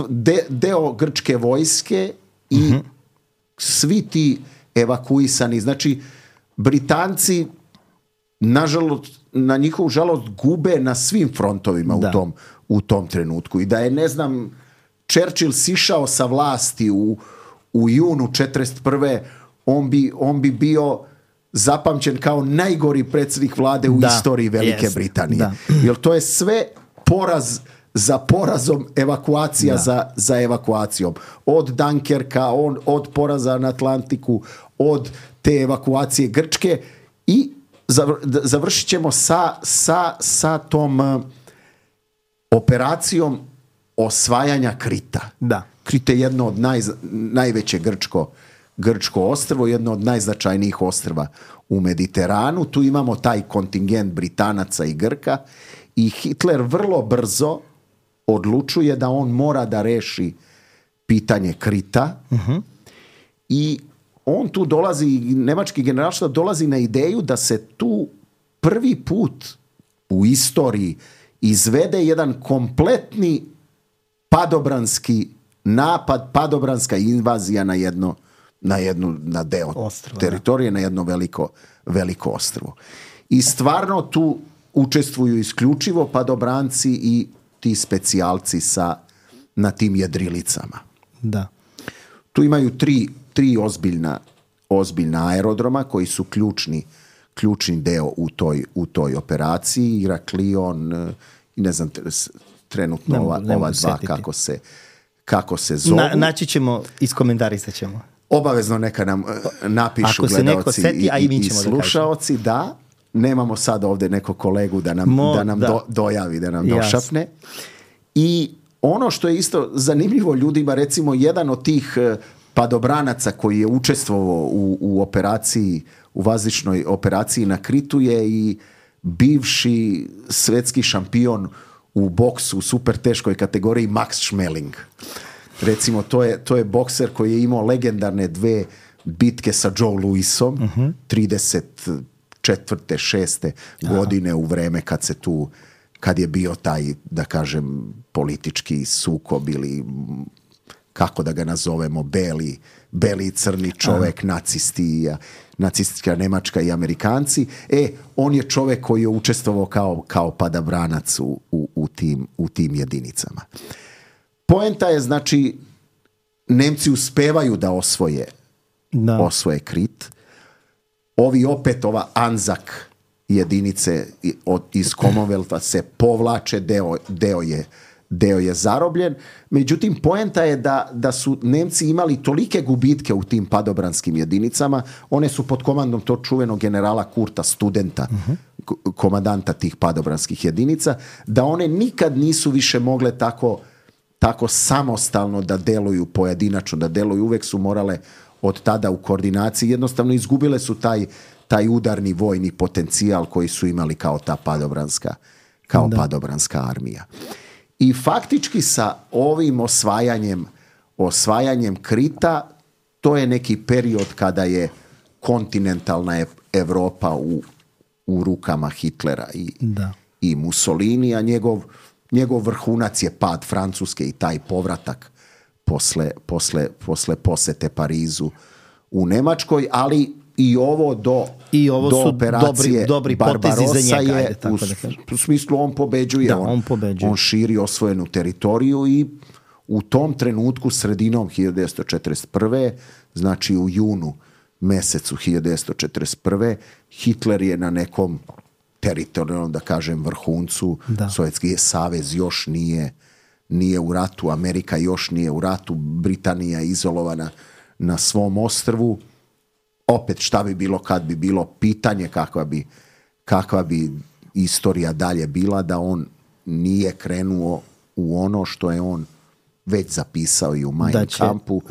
De, deo grčke vojske i uh-huh. svi ti evakuisani. Znači, Britanci nažalost, na njihovu žalost gube na svim frontovima u tom, u tom trenutku. I da je, ne znam, Churchill sišao sa vlasti u, u junu četrdeset prve on bi, on bi bio zapamćen kao najgori predsjednik vlade u da. istoriji Velike yes. Britanije. Da. Jer to je sve poraz za porazom, evakuacija za, za evakuacijom. Od Dunkerka, on, od poraza na Atlantiku, od te evakuacije Grčke i završit ćemo sa, sa, sa tom uh, operacijom osvajanja Krita. Da. Krit je jedno od naj, najveće grčko, grčko ostrvo, jedno od najznačajnijih ostrva u Mediteranu. Tu imamo taj kontingent Britanaca i Grka i Hitler vrlo brzo odlučuje da on mora da reši pitanje Krita uh-huh. i on tu dolazi, nemački generalštab dolazi na ideju da se tu prvi put u istoriji izvede jedan kompletni padobranski napad, padobranska invazija na jedno na jednu, na deo Ostrvo, teritorije, na jedno veliko, veliko ostrvo. I stvarno tu učestvuju isključivo padobranci i ti specijalci sa, na tim jedrilicama. Da. Tu imaju tri, tri ozbiljna, ozbiljna aerodroma koji su ključni, ključni deo u toj, u toj operaciji. Iraklion i ne znam trenutno ne, ova, ne ova dva kako se, kako se zovu. Na, naći ćemo, iskomentarisat ćemo. Obavezno neka nam napišu gledalci i, i, i slušaoci, da, da. Nemamo sad ovdje nekog kolegu da nam, Mo, da nam da. Do, dojavi, da nam Jas. došapne. I ono što je isto zanimljivo ljudima, recimo jedan od tih padobranaca koji je učestvovao u, u operaciji, u vazdušnoj operaciji na Kritu je i bivši svetski šampion u boksu u super teškoj kategoriji Max Schmeling. Recimo, to je, to je bokser koji je imao legendarne dve bitke sa Joe Louisom, uh-huh. trideset četvrte, šeste godine u vreme kad se tu, kad je bio taj, da kažem, politički sukob ili kako da ga nazovemo, beli, beli i crni čovek, Aha. nacisti, nacistička Nemačka i Amerikanci. E, on je čovek koji je učestvovao kao, kao padobranac u, u, u, tim, u tim jedinicama. Poenta je, znači, Nemci uspevaju da osvoje, da. osvoje Krit. Ovi opet, ova Anzak jedinice od, iz Commonwealtha se povlače, deo, deo, je, deo je zarobljen. Međutim, poenta je da, da su Nemci imali tolike gubitke u tim padobranskim jedinicama, one su pod komandom tog čuvenog generala Kurta Studenta, uh-huh. komandanta tih padobranskih jedinica, da one nikad nisu više mogle tako tako samostalno da deluju pojedinačno, da deluju, uvek su morale od tada u koordinaciji, jednostavno izgubile su taj, taj udarni vojni potencijal koji su imali kao ta padobranska, kao da. padobranska armija. I faktički sa ovim osvajanjem, osvajanjem Krita, to je neki period kada je kontinentalna Evropa u, u rukama Hitlera i, da. i Mussolini, a njegov Njegov vrhunac je pad Francuske i taj povratak posle, posle, posle posete Parizu u Nemačkoj, ali i ovo do, I ovo do su operacije dobri, dobri potezi za njega, je ajde, tako u, da kažem. u smislu on pobeđuje, da, on, on, pobeđuje. on širi osvojenu teritoriju i u tom trenutku sredinom hiljadu devetsto četrdeset prve, znači u junu mesecu hiljadu devetsto četrdeset prve, Hitler je na nekom teritorijalno, da kažem, vrhuncu. Da. Sovjetski savez još nije, nije u ratu, Amerika još nije u ratu, Britanija je izolovana na svom ostrvu. Opet, šta bi bilo kad bi bilo, pitanje kakva bi, kakva bi istorija dalje bila da on nije krenuo u ono što je on već zapisao i u Mein Kampfu,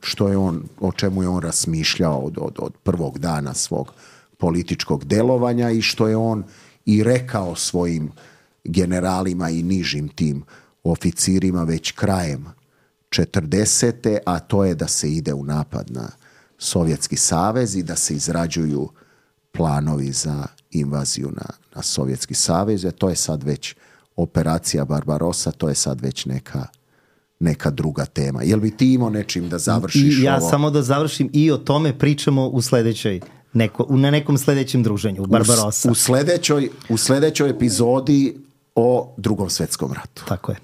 što je on, o čemu je on razmišljao od, od, od prvog dana svog političkog delovanja i što je on i rekao svojim generalima i nižim tim oficirima već krajem četrdesete, a to je da se ide u napad na Sovjetski savez i da se izrađuju planovi za invaziju na, na Sovjetski savez. To je sad već operacija Barbarossa, to je sad već neka, neka druga tema. Jel bi ti imao nečim da završiš I ja ovo? Samo da završim i o tome pričamo u sledećoj Neko, na nekom sledećem druženju u Barbarossa. U, u, sledećoj, u sledećoj epizodi o Drugom svetskom ratu. Tako je.